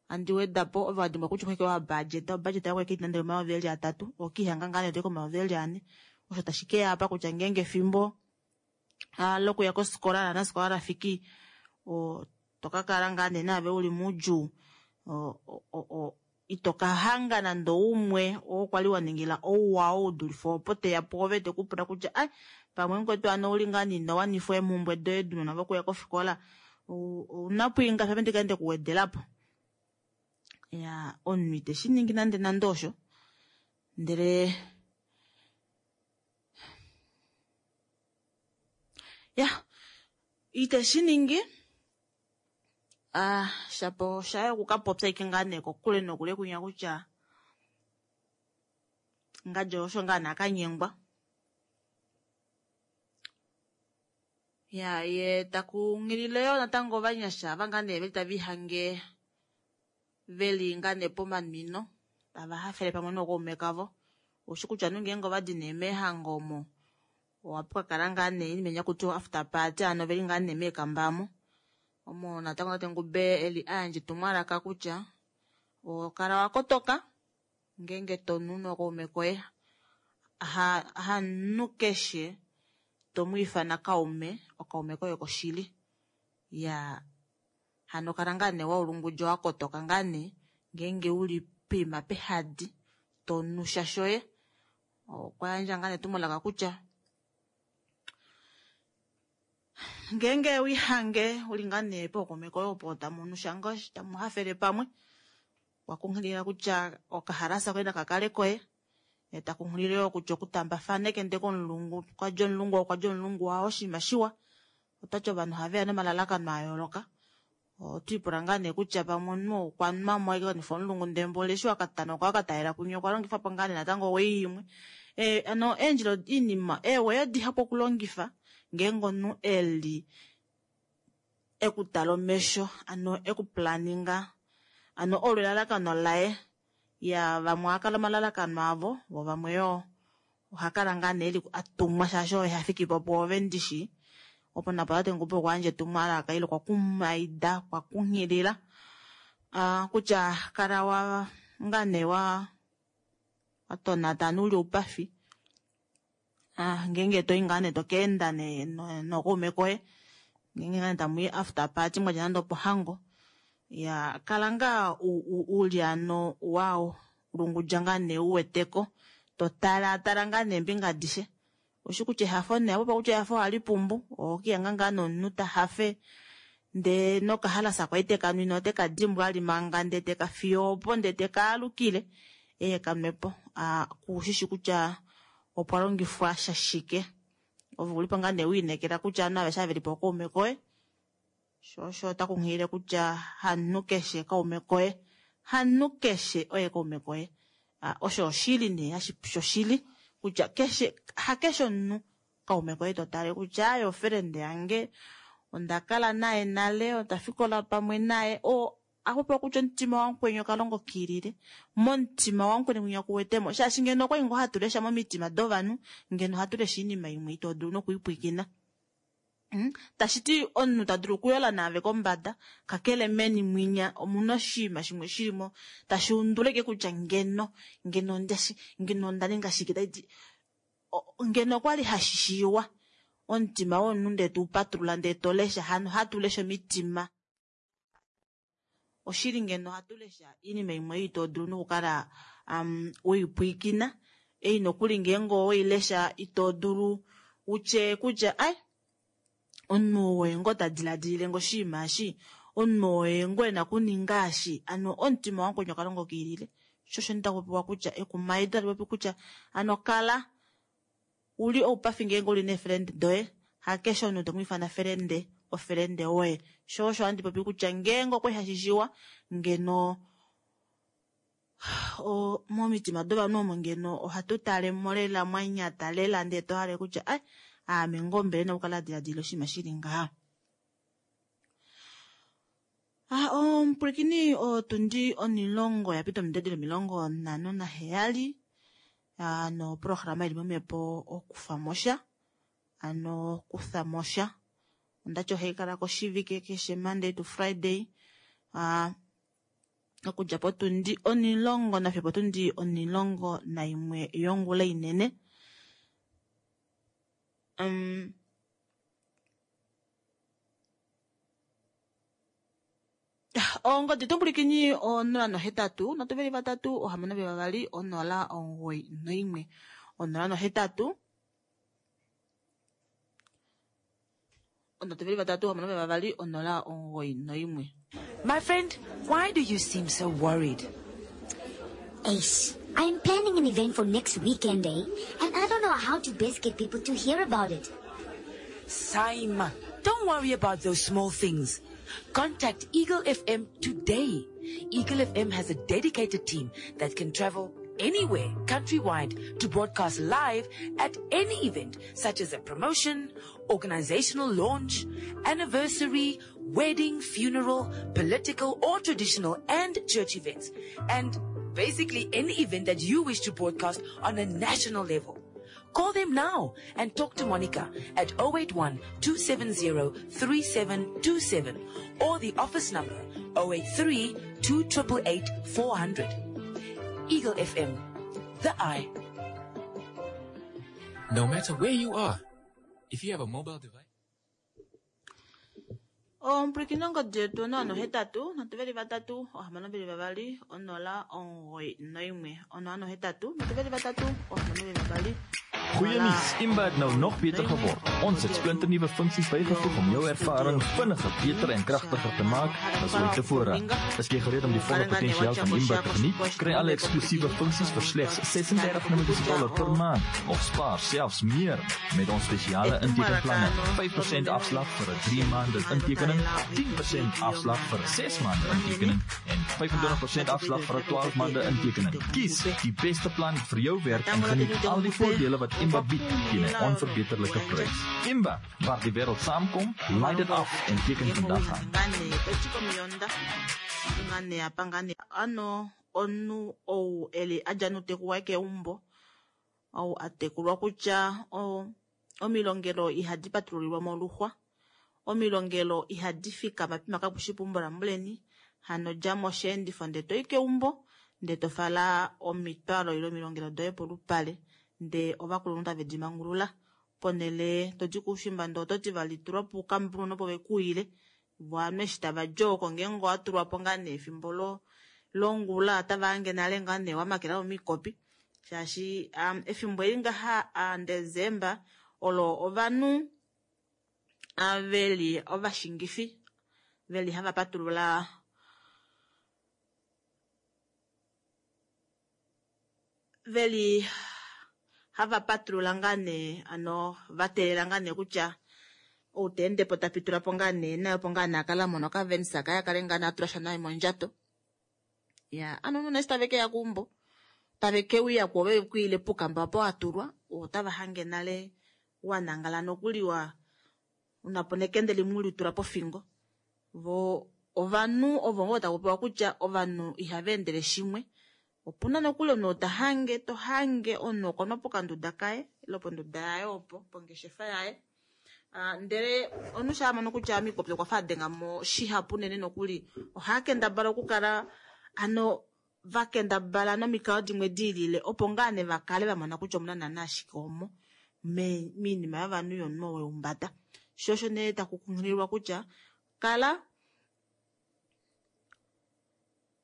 handi weda po, ove wa dimbwa kutya okweke wa budget, obudget yako eke nande omayovi eli atatu, okiihanga ngaa nee toyi komayovi eli ane. Osho tashi ke ya apa kutya ngeenge efimbo lokuya kofikola lanasikola lafiki, to ka kala ngaa nee naave uli moudjuu, ito ka hanga nande umwe oo kwali wa ningila ouwa oo udulife opo teya pwoove te ku pula kutya ai pamwe mukwetu ano ouli ngaa nee ino wanifwa eemhumbwe doye dunona vokuya kofikola, ouna po ingapi ame ndikale nde kuwedela po. Ya omunhu ite shi ningi nande nande osho, ndele ya ite shi ningi. Shapo shaye okukapopya ike ngaa nee kokule nokule kunya kutya ngadjo osho ngaa nee akanyengwa. Ya ye takunghilile yoo natango ovanyasha ava ngaa nee veli tava ihange veli ngaa nee pomanwino tava hafele pamwe nookaume kavo. Oushi kutya ngeenge ovadi nee meehango omo ohapu kakala ngaa nee inima inya kutiwa after party, ano veli ngaa nee meekamba omo. Omo natango tate Ngube eli ayandja etumwalaka kutya okala wa kotoka ngeenge to nu nookaume koye, hanu keshe to mu ifana kaume, okaume koye koshili. Ya hano kala ngaa nee waulungudja wa kotoka ngaa nee ngeenge uli poima pehadi to nu sha shoye. Okwa yandja ngaa nee etumwalaka kutya ngeenge wihange uli ngaa nee pookaume koye opo tamu nu sha ngoo tamu hafele pamwe, okwa kunghilila kutya okahalasa koye nakakale koye, ta kunghilile yoo kutya okutambafana ekende komulungu, okwa dja omulungu, okwa dja omulungu wao oshinima shiwa. Otati ovanhu ohaveya nomalalakano a yooloka. Otwiipula ngaa nee kutya pamwe omunhu okwa nwa mo ashike kanifa omulungu ndee mboli eshi wakatana okwa wakatalela kunye okwa longifa po ngaa nee natango owei imwe. Ano eendjila iinima eeweyo dihapu okulongifa ngeenge omunhu eli ekutala omesho ano ekuplaninga ano olo elalakano laye. Ya vamwe ohakala omalalakano avo vo vamwe yoo ohakala ngaa nee eli atumwa shaashi oye hafikipo pwoove ndishi. Opo napo tate Ngubo okwa yandja etumwalaka ile okwa kumaida okwa kunghilila kutya kala wa ngaa nee wa tonata ano uli oupafi ngeenge toyi ngaa nee tokeenda nee nokaume koye ngeenge ngaa nee tamuyi after party mwadja nande opohango ya kala ngaa uli ano wa lungudja ngaa nee uweteko totala tala ngaa neembinga adishe. Oshi kutya ehafo nee opo kutya ehafo ohali pumbu okiyanga ngaa nomunhu tahafe ndee nokahalasa kwali tekanwine oteka dimbwa ali manga ndee teka fiyo opo ndee tekaalukile eye kanwepo kushishi kutya opwa longifwa shashike. Ove ulipo ngaa nee wiinekela kutya ovanhu aveshe ava velipo okaume koye sho osho otakunghilile kutya hamunhu keshe kaume koye hamunhu keshe oye kaume koye. Osho oshili nee shoshili kutya keshe hakeshe omunhu kaume koye totale kutya aye ofriend yange onda kala naye nale onda fikola pamwe naye o akupewa kutya omutima wamukweni okalongo kiilile momutima wamukweni mwinya kuwetemo shaashi ngeno okwali ngoo hatu lesha momitima dovanhu ngeno ohatu lesha iinima imwe ito dulu nokuipwiikina. Tashiti omunhu tadulu okuyola naave kombada kakele meni mwinya omuna oshinima shimwe shilimo tashi unduleke kutya ngeno ngeno ondashi ngeno onda ninga shike taiti ngeno okwali hashishiiwa omutima womunhu ndee tuupatulula ndee tolesha hano hatu lesha omitima. Oshili ngeno ohatu lesha iinima imwe ito dulu nokukala weipwiikina ei nokuli ngeenge oweilesha ito dulu utye kutya ai omunhu oye ngoo tadiladilile ngo oshinima eshi omunhu oye ngoo ena okuninga eshi ano omutima wamukweni okalongo kiilile. Sho osho ndapopiwa kutya ekumaido tali popi kutya ano kala uli oupafi ngeenge uli neefriend doye hakeshe omunhu tomwiifana friend ofriend woye. Sho osho handi popi kutya ngeenge okwali hashishiwa ngeno momitima dovanhu omo ngeno ohatu talemo lela mwanyata lela ndee tohale kutya ai aame ngoo mbele nokukala diladila oshinima shili ngaha. Omupwilikini otundi 10 yapita omidedilo 57 noprograma ili momhepo okufa mosha ano kutha mosha ondati ohaikala koshivike keshe Monday to Friday okudja potundi 10 nafiyo potundi 11 yongula inene. Ongodi tumbulikini 083 323 622 091 083 323 622 091. My friend, why do you seem so worried? Ace, I'm planning an event for next weekend, eh? And I don't know how to best get people to hear about it. Saima, don't worry about those small things. Contact Eagle FM today. Eagle FM has a dedicated team that can travel anywhere countrywide to broadcast live at any event, such as a promotion, organizational launch, anniversary, wedding, funeral, political or traditional and church events, and basically any event that you wish to broadcast on a national level. Call them now and talk to Monica at 081 270 3727 or the office number 083 288 400. Eagle FM, the eye. No matter where you are, if you have a mobile device. Omupwilikini ongodi yetu 083 323 622 091 083 323 622 Goeie nuus, Imba het nou nog beter geword. Ons het splinternuwe funksies bygevoeg om jou ervaring vinniger, beter en kragtiger te maak as ooit tevore. Is jy gereed om die volle potensiaal van Imba te geniet? Kry alle eksklusiewe funksies vir slegs $36 per maand of spaar selfs meer met ons spesiale intekenplanne. 5% afslag vir 'n 3 maande intekening, 10% afslag vir 'n 6 maande intekening en 25% afslag vir 'n 12 maande intekening. Kies die beste plan vir jou werk en geniet al die voordele wat Imba bied teen 'n onverbeterlike prys. Imba, waar die wêreld saamkom, laai dit af en teken vandag aan. Ngane apa ngane ano omunhu ou eli adja noutekuwa keumbo ou atekulwa kutya omilongelo ihadi patululilwa moluxwa, omilongelo ihadi fikama pima kapushi peumbo lamuleni, hano dja mosheendifo ndee toyi keumbo ndee tofala omitwalo ile omilongelo doye polupale ndee ovakulunhu tave di mangulula ponele todi koushimba ndee ototi vali tulwa puukambulu opo vekuuyile vo ovanhu eshi tavadi oko ngeenge owatulwapo ngaa nee efimbo longula otava hange nale ngaa nee wamakela momikopi shaashi efimbo eli ngaha Desemba olo ovanhu veli ovashingifi veli hava patulula veli hava patulula ngaa nee ano vateelela ngaa nee kutya ou teendepo tapitulapo ngaa nee naye opo ngaa nee akala amona okavenisa kaye akale ngaa nee atula sha naye mondjato. Ya ano omunhu eshi tave keya keumbo tave keuya kwoove vekwiile pukamba opo watulwa otava hange nale wanangala nokuli wa unapo nekende limwe ulitula pofingo. Vo ovanhu ovo ngoo taku pewa kutya ovanhu ihava endele shimwe. Opuna nokuli omunhu tahange tohange omunhu okwanwa pokanduda kaye ile ponduda yaye opo pongeshefa yaye. Ndele omunhu sha mono kutya omikopi okwa fa adengamo shihapu unene nokuli ohaakendabala okukala ano vakendabala nomikalo dimwe diilile opo ngaa nee vakale vamona kutya omuna naana ashike omo miinima yovanhu yomunhu weumbada. Sho osho nee taku kunghililwa kutya kala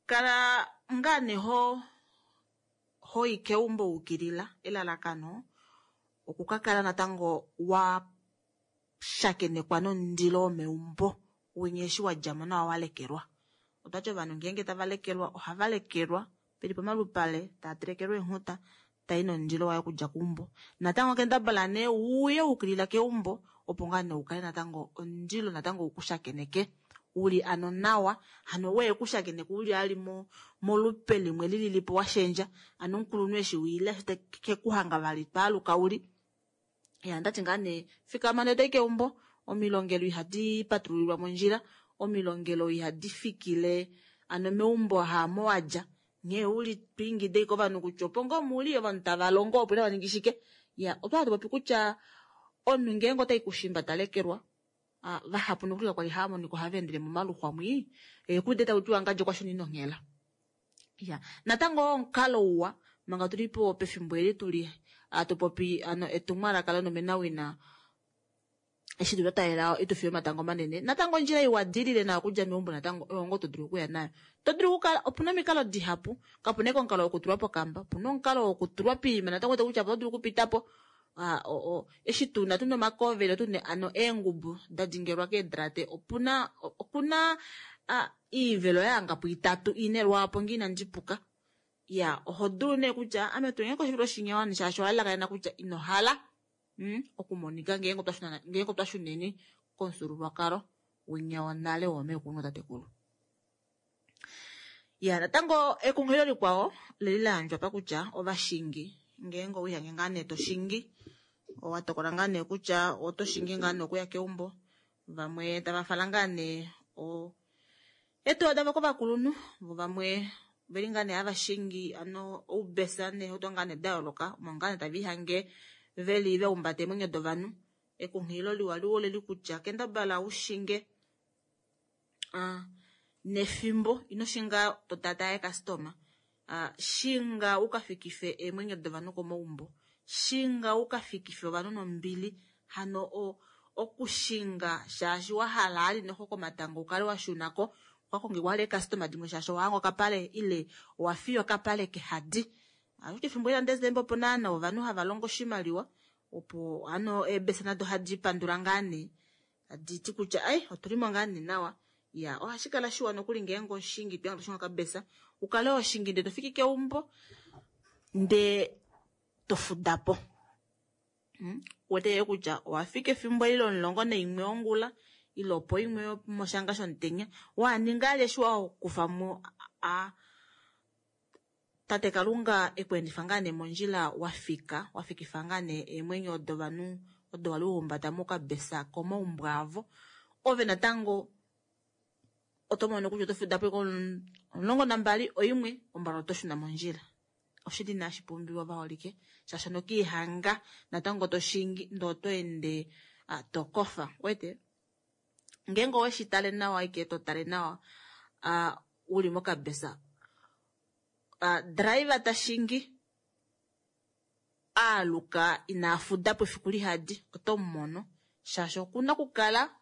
kala ngaa nee hoyi keumbo ukilila elalakano okukakala natango wa shakenekwa nomundilo womeumbo winya eshi wadjamo nawa walekelwa. Otwati ovanhu ngeenge tava lekelwa ohava lekelwa peli pomalupale tava telekelwa eenghuta tai nomundilo waye okudja keumbo. Natango kendabala nee uye ukilila keumbo opo ngaa nee ukale natango omundilo natango ukushakeneke uli ano nawa hano weye kushakeneka uli ali molupe limwe lililipo washendja ano omukulunhu eshi wiile kekuhanga vali twaaluka uli. Ya ndati ngaa nee fikama ndee toyi keumbo omilongelo ihadi patululilwa mondjila omilongelo ihadi fikile ano meumbo haamo wadja nghee uli twiingide kovanhu kutya opo ngoo muli ovanhu tava longo opo inava ningi shike. Ya otwa popi kutya omunhu ngeenge otai kushimba talekelwa vahapu nokuli kwali hava monika ohava endele momaluxwa mwii ekude tautiwa ngadje kwashona inonghela. Ya natango omukalo uwa manga tulipo pefimbo eli tuli atupopi ano etumwalaka lonomenawina eshi tuli twalela itufi yomatango manene natango ondjila iwa dilile nayo okudja meumbo natango oyo ngoo todulu okuya nayo. Todulu okukala opuna omikalo dihapu kapuna eke omukalo wokutulwa pokamba opuna omukalo wokutulwa piima natango kutya oto dulu okupitapo eshi tuna tuna omakovelo tuna ano eengubu dadingelwa keedrate opuna okuna iivelo yahangapo itatu ine lwaapo ngee inandi puka. Ya oho dulu nee kutya ame tunge koshivilo shinyawani shaashi owalalakanena kutya inohala okumonika ngeenge otwa shuneni komufyuululwakalo winya wonale woomeekulu nootatekulu. Ya natango ekunghililo likwao leli layandjwa pa kutya ovashingi ngeenge owihange ngaa nee toshingi owatokola ngaa nee kutya otoshingi ngaa nee okuya keumbo vamwe tava fala ngaa nee eetuwa davo kovakulunhu vo vamwe veli ngaa nee hava shingi ano oubesa neehauto ngaa nee dayooloka omo ngaa nee tava ihange veli vaumbata eemwenyo dovanhu. Ekunghililo liwa liwa oleli kutya kendabala ushinge nefimbo ino shinga totata eekastoma shinga ukafikife eemwenyo dovanhu komaumbo shinga ukafikife ovanhu nombili hano okushinga shaashi wahala ali noxo komatango ukale washunako ukakonge wale eekastoma dimwe shaashi owahanga okapale ile owafiya okapale kehadi. Ashike efimbo eli laDesemba opo naana ovanhu hava longo oshimaliwa, opo hano eebesa nado hadi pandula ngaa nee, tadi ti kutya ai otuli mo ngaa nee nawa. Ya, ohashi kala shiwa nokuli ngeenge oshingi to shingi okabesa, u kale oshingi ndee to fiki keumbo ndee to fuda po. Wete yo kutya owa fika efimbo eli lomulongo naimwe wongula ile opo imwe moshanga shomutenya, wa ninga ali eshi wa kufa mo a tate Kalunga eku endifa ngaa nee mondjila wa fika, wa fikifa ngaa nee eemwenyo dovanhu odo wali wa humbata mokabesa komaumbo avo. Ove natango oto mono kutya oto fuda po 12 oimwe, ombala oto shuna mondjila. Oshili inashi pumbiwa vaholike, shaashi nokiihanga natango to shingi ndee oto ende to kofa. Wete ngeenge oweshi tale nawa ike to tale nawa uli mokabesa, driver ta shingi aaluka ina fuda po efiku lihadi, oto mumono shaashi okuna okukala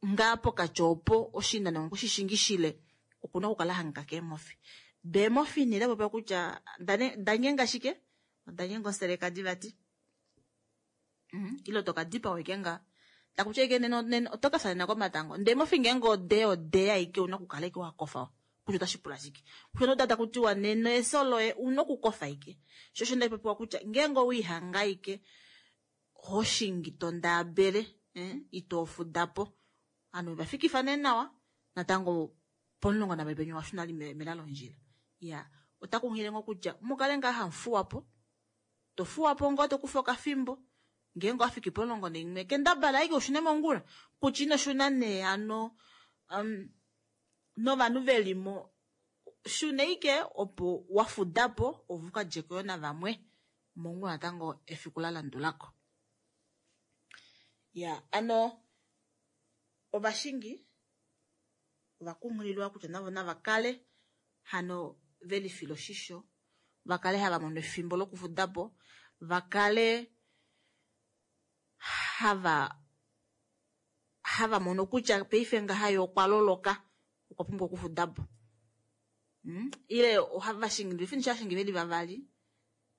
ngaa pokati opo oshinano oshishingi shile, okuna okukala hangika keemofi. Deemofi nee da popya kutya da nyenga shike, oda nyenga oselekadi vati. Ile toka dipawa ike ngaa. Takutya ike nena oto ka fya nena komatango. Ndee mofi ngeenge ode ode aike una okukala ike wa kofa. Kutya otashi pula shike. Kutya nota takutiwa nena efyo loye una okukofa ike. Sho osho nda popiwa kutya ngeenge owiihanga ike hoshingi to ndaabele, ito fuda po. Ovanhu va fikifa nee nawa natango pomulongo navali penyu wa shuna mela londjila. Ya, ota kunghilile ngoo kutya mukale ngaa hamufuwa po. To fuwa po ngoo to kufa okafimbo. Ngeenge wa fiki pomulongo naimwe kendabala aike ushune mongula. Kutya ino shuna nee hano novanhu velimo shuna ike opo wa fuda po ove uka djeko yo navamwe mongula natango efiku la landulako. Ya, ano ovashingi ova kunghililwa kutya navo nava kale hano velifila oshisho, va kale hava mono efimbo lokufuda po, va kale hava mono kutya paife ngaha ye okwa loloka, okwa pumbwa okufuda po. Ile ohava shingi, ndele fini sha shingi veli vavali,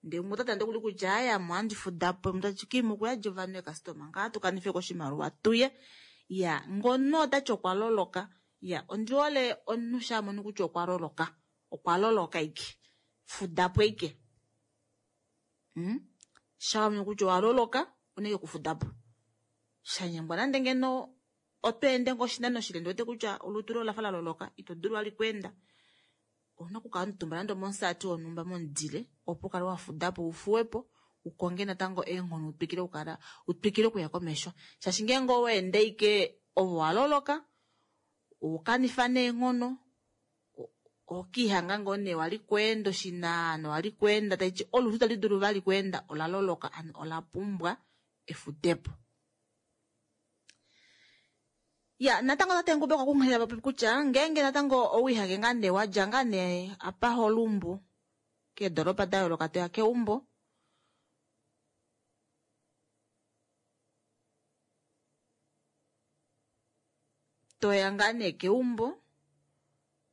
ndele umwe ota tande kuli kutya aya mo andi fuda po, umwe tati kimu okuya ovanhu ekastoma ngaa tu kanife koshimaliwa tuye. Ya, ngono otati okwa loloka. Ya, ondi hole omunhu sha mono kutya okwa loloka. Okwa loloka ike. Fuda po ike. Sha mono kutya owa loloka, oneke kufuda po. Shanyengwa nande ngeno oto ende ngoo oshinano shile, ndi wete kutya olutu loye olafa la loloka, ito dulu vali kuenda. Ouna okukala omutumba nande omomusati wonhumba momudile, opo ukale wa fuda po, ufuwe po, ukonge natango eenghono utwikile okukala, utwikile okuya komesho. Shaashi ngeenge owa ende ike ovo wa loloka, ukanifa neenghono, okiihanga ngoo nee wali kuenda oshinano, wali kuenda taiti olutu tali dulu vali kuenda, ola loloka, ano ola pumbwa efutepo. Ya, natango tate Ngube okwa kunghilila popi kutya ngeenge natango owiihange ngaa nee wadja ngaa nee apa holumbu keedoropa da yooloka toya keumbo, toya ngaa nee keumbo,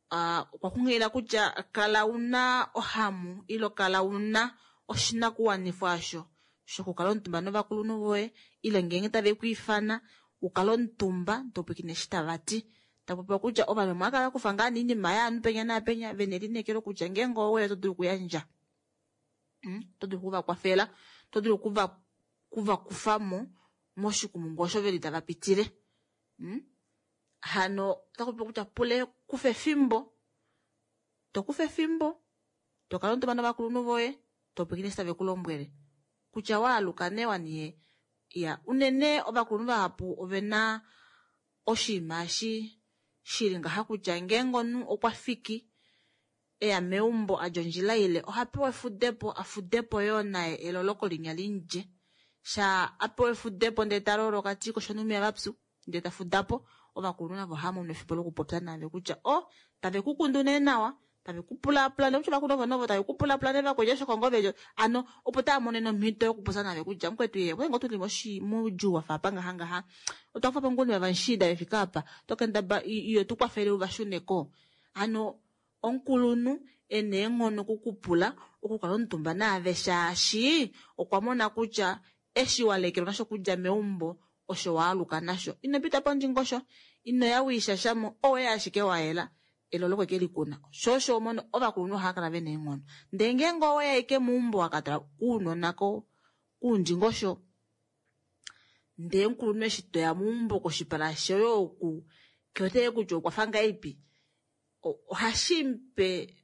okwa kunghilila kutya kala una ohamu ile kala una oshinakuwanifwa asho shokukala omutumba novakulunhu voye, ile ngeenge tave ku ifana ukale omutumba topwikine eshi tava ti. Tapopiwa kutya ovanhu vamwe ohava kala kufa ngaa nee oinima yaanhu penya naapenya, vena elineekelo kutya ngeenge oweya oto dulu okuyandja. Oto dulu okuvakwafela, oto dulu okuvakufa mo moshikumungu osho veli tava pitile. Hano ota popiwa kutya pule kufa efimbo, to kufa efimbo, to kala omutumba novakulunhu voye, to pwilikine eshi tave ku lombwele. Kutya waaluka nee waniye. Ya, unene ovakulunhu vahapu ovena oshinima eshi shili ngaha kutya ngeenge omunhu okwa fiki eya meumbo adja ondjila ile, oha pewa efudepo, afudepo yoo naye eloloko linya limudje. Sha a pewa efudepo ndele ta loloka ti koshonumiya vapyu, ndele ta fudapo, ovakulunhu navo ohava mono efimbo lokupopya nave kutya o, tave ku kundu nee nawa, tave ku pulaapula, nokutya ovakulunhu ovo novo tave ku pulaapula nee vakwetu osho kongo velyo. Ano, opo tava mono nomhito yokupopya nave kutya mukwetu ye, okwe ngoo tuli moudjuu wafa apa ngaha ngaha. Otwa kufa po ngoo vavamushida vefika apa, to kendaba iyo tu kwafele u va shune ko. Ano, Omukulunhu e na eenghono okukupula okukala omutumba naave shaashi okwa mona kutya eshi wa lekelwa nasho okudja meumbo osho waaluka nasho. Ino pita pondingosho, ino ya wiishashamo, oweya ashike wa yela elolo okwe ke likuna. Sho osho omono ovakulunhu ohava kala vena eenghono. Ndee ngeenge oweya ashike meumbo wakatala ounona kuundingosho ndee omukulunhu eshi toya meumbo koshipala shoye oku kewete kutya okwafa ngahelipi, ohashi mupe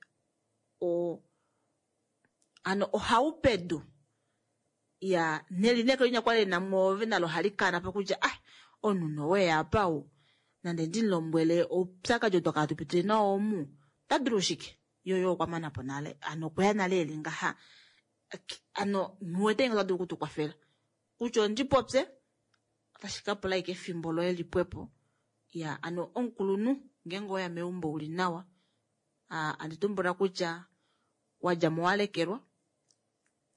ano ohaupedu ya nelineekelo linya kwali lina mwoove nalo ohali kana po kutya ah omunhu noweya apa ou nande ndimulombwele oupyakadi oo twakala tupitile nao omu ota dulu shike yoyo okwa mana po nale ano okweya nale eli ngaha ano nghiwete ngee ota dulu okutukwafela kutya ondipopye otashi ka pula ashike efimbo loye lipwepo ya ano omukulunhu ngeenge oweya meumbo uli nawa andi tumbula kutya wadja mo walekelwa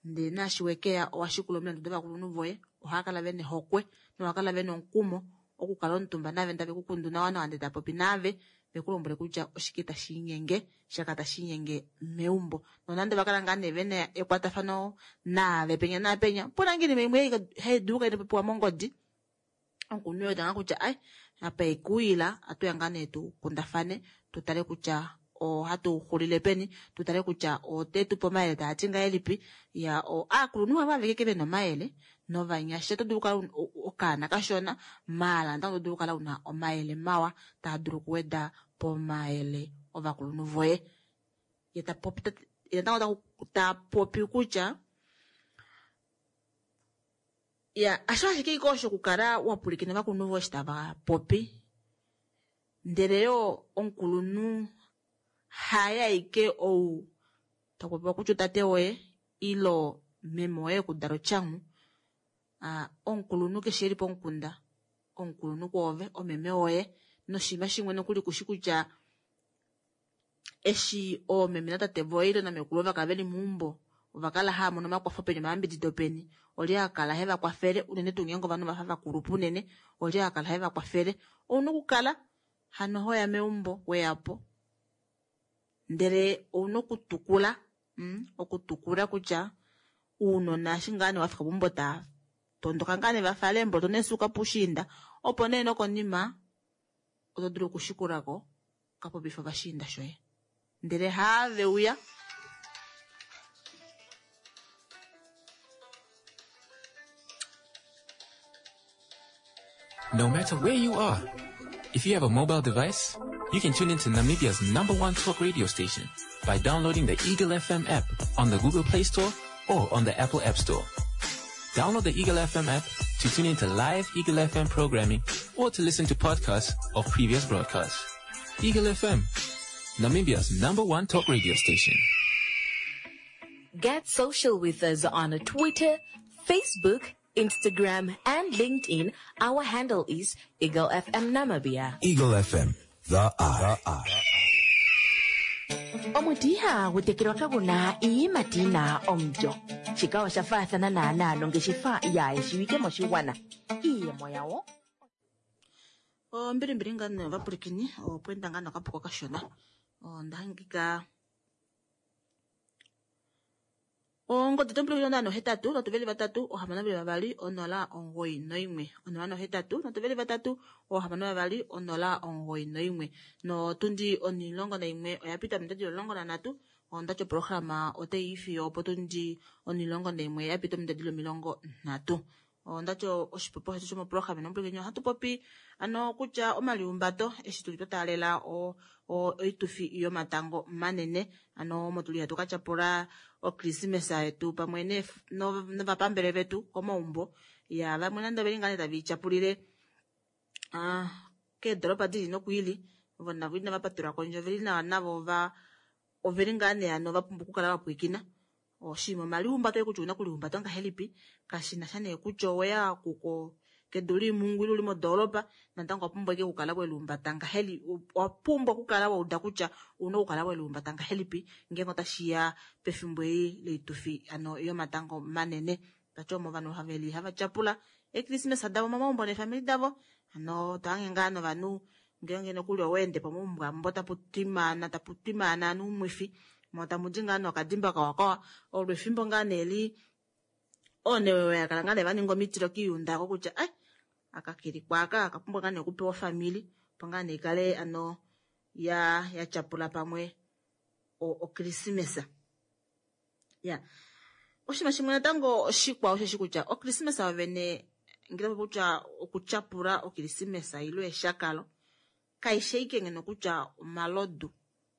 ndee naashi wekeya owashikula omilandu dovakulunhu voye ohava kala vena ehokwe nohava kala vena omukumo okukala omutumba nave tave kukundu nawa nawa ndee tapopi naave vekulombwele kutya oshike tashiinyenge shaka tashiinyenge meumbo. Nonande ovakala ngaa nee vena ekwatafano naave penya naapenya, opuna ngoo oinima imwe hai dulu okukala inapopiwa mongodi, omukulunhu wete ngaa kutya ai apa ekuwila atuya ngaa nee tukundafane tutale kutya ohatu xulile peni, tutale kutya otetupe omayele taati ngahelipi. Ya aakulunhu havo aveke vena omayele novanyasha oto dulu okukala okaana kashona maala natango oto dulu okukala una omayele mawa taa dulu okuweda pomayele ovakulunhu voye. Ye tapopi ye natango tapopi kutya ya asho ashike ike osho okukala wapwilikina ovakulunhu voye eshi tava popi, ndele yoo omukulunhu haye aike ou takupopiwa kutya otate woye ilo meme woye ekudala otyangu. Omukulunhu keshe eli pomukunda omukulunhu kwoove omeme woye noshinima shimwe nokuli kushi kutya eshi oomeme natate voye ile namekulu ovakala veli meumbo ovakala hava mono omakwafo peni omayambidido peni, olye akala heva kwafele unene tuu ngeenge ovanhu vafa vakulupa unene olye akala heva kwafele. Ouna okukala hano hoya meumbo weyapo ndele ouna okutukula okutukula kutya uunona eshi ngaa nee wafika peumbo taa tondoka ngaa nee vafale eemboloto neesuuka puushiinda opo nee nokonima oto dulu okushikulako kapopifa ovashiinda shoye ndele haave uya. No matter where you are, if you have a mobile device, you can tune into Namibia's number one talk radio station by downloading the Eagle FM app on the Google Play Store or on the Apple App Store. Download the Eagle FM app to tune into live Eagle FM programming or to listen to podcasts of previous broadcasts. Eagle FM, Namibia's number one talk radio station. Get social with us on Twitter, Facebook, Instagram, and LinkedIn. Our handle is Eagle FM Namibia. Eagle FM, the eye. Omuti ihagu tekelwa kagu na iiyimati yi na omulyo. Shika osha faathana naanaa nongeshefa yaayeshiwike moshigwana. Iiyemo yawo. Ombilimbili ngaa nee ovapwilikini opweenda ngaa nokapuko kashona onda hangika ongodi tompwilikini 083 3 6 2 091 083 3 6 2 091 notundi 11 oya pita ominute 13 ondati oprograma otayi yi fiyo opotundi 11 ya pita ominute 30. Ondati oshipopiwa shetu shomoprograma nomupwilikini ohatu popi ano kutya omaliumbato eshi tuli twa taalela oitufi yomatango manene ano omo tuli hatu katyapula okrismesa yetu pamwe novapambele vetu komaumbo ya vamwe nande oveli ngaa nee tave ityapulile keedoropa dili nokwiili ovo navo inava patelwa kondje oveli nawa navo oveli ngaa nee ano vapumbwa okukala vapwilikina oshinima omaliumbato oye kutya ouna okulihumbata ngahelipi kashina sha nee kutya oweya kuko kedu liimungu ile uli modoolopa natango owa pumbwa ashike okukala welihumbata ngahelipi, owa pumbwa okukala wa uda kutya ouna okukala welihumbata ngahelipi ngeenge otashiya pefimbo eli loitufi ano yomatango manene. Tati omo ovanhu haveli hava tyapula ekrismesa davo momaumbo neefamili davo ano tohange ngaa novanhu Ngeenge nokuli oweende po moumbwa mbo tapu twimaana, tapu twimaana noumwifi, mo tamu di ngaa nokadimba kawakawa. Olo efimbo ngaa nee li oonewewe ya kala ngaa nee va ninga omitilo kiiyunda ako kutya ai akakilikwa aka akapumbwa ngaa nee okupewa ofamili opo ngaa nee ikale ano ya ya tyapula pamwe okrismesa. Ya oshinima shimwe natango oshikwao osheshi kutya okrismesa yovene ngele tapopi kutya okutyapula okrismesa ile eshakalo kaishi ashike ngeno kutya omalodu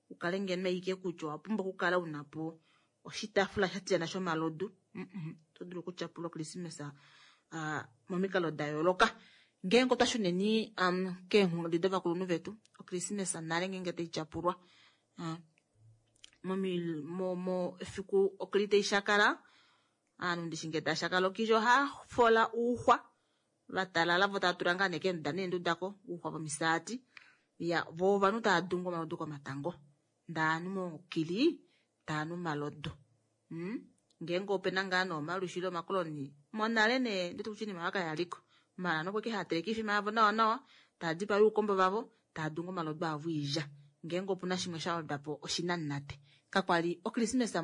ukale ngeno ashike kutya owa pumbwa okukala una po oshitaafula sha tiyana shomalodu. Oto dulu okutyapula okrismesa momikalo da yooloka. Ngeenge otwa shuneni keenghulunghedi dovakulunhu vetu, okrismesa nale ngeenge tai tyapulwa mo efiku okli tai shakala, aanhu ndishi ngee taa shakala okili ohaa fola uuxwa va talala vo tava tula ngaa nee keenduda neenduda ko uuxwa vomisaati. Ya vo ovanhu tava dungu omalodu komatango ndee ovanhu mokili tava nu omalodu. Ngeenge opena ngaa nee omalwishi ile omakoloni monale nee ndeti kutya oinima oyo kayaliko maala ovanhu okwali hava teleke oifima yavo nawa nawa tava dipaya oukombo vavo tava dungu omalodu avo oilya. Ngeenge opuna shimwe sha wedwa po oshinanate. Kakwali okrismesa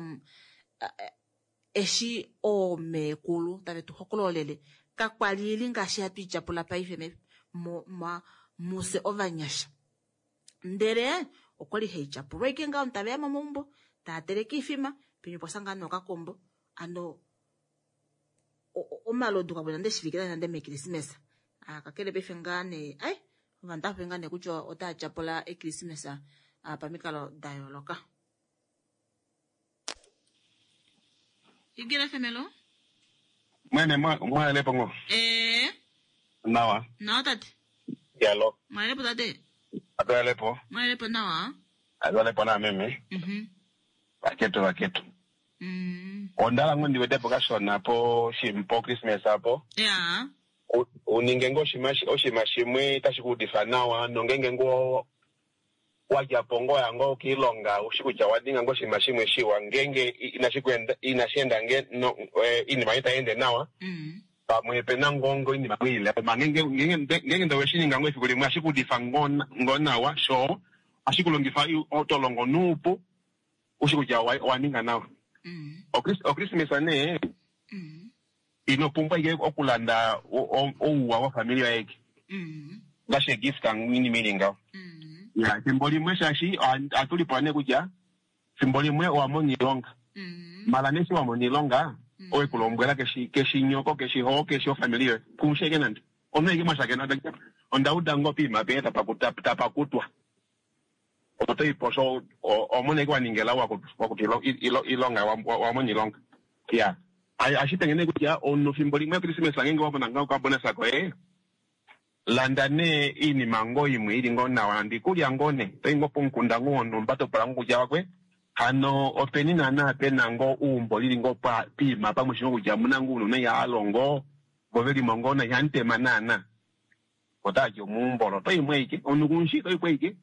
eshi oomeekulu tave tu hokololele kakwali ili ngaashi hatu i tyapula paife mufye ovanyasha. Ndele okwali hai tyapulwa ashike ngaho tave ya momaumbo tava teleke oifima penyu opwa ngaa nee okakombo ano omalodu kakuli nande shivikila nande mekrismesa. Kakele paife ngaa nee ai ovanhu otava popi ngaa nee kutya otava tyapula ekrismesa pamikalo da yooloka. Igila FM lo? Mwene mwalepo ngo? Eh. Nawa. Nawa tate. Yalo. Mwalepo tate. Atwalepo. Mwalepo nawa. Atwalepo na meme. Vaketu vaketu. Ondala ngo ndiwetepo kashona po shimpo Christmas apo. Ya. Uninge ngo oshima shimwe tashi kuudifa nawa nongenge ngo wadja po ngo ya ngo kiilonga ushi kutya wa ninga ngo oshinima shimwe shiwa ngenge inashi enda nge no iinima itayi ende nawa pamwe pena ngo ngo iinima ile ma ngenge ngenge nde weshi ninga ngo efiku limwe ohashi kuudifa ngo nawa sho ohashi kulongifa oto longo nuupu ushi kutya owa ninga nawa. Okrismesa nee ino pumbwa ike okulanda ouwa wofamili yoye ike ngaashi egift iinima ili ngaho. Ya efimbo limwe shaashi ohatu lipula nee kutya efimbo limwe owa mona iilonga mala nee eshi wa mona iilonga owe kulombwela keshi keshi nyoko keshi ho keshi ofamili yoye kuushi ashike nande omunhu ashike mwashakena onda uda ngoo poima penya tapakutwa oto ipo sho omona ashike waningela wakuta iilonga wamona iilonga. Ya ashitenge nee kutya omunhu fimbo limwe Christmas ngenge wamona ngoo okabonus koye landa nee iinima ngoo imwe ili ngoo nawa nande iikulya ngoo nee toyi ngoo pomukunda ngoo wonhumba topula ngoo kutya wakwe hano openi naana pena ngoo uumbo lili ngoo piima pamwe shi ngoo kutya omuna ngoo uunona ihalongo vo velimo ngoo na ihamutema naana otati omuumbolo oto imwe ashike omunhu kumushi to ipo ashike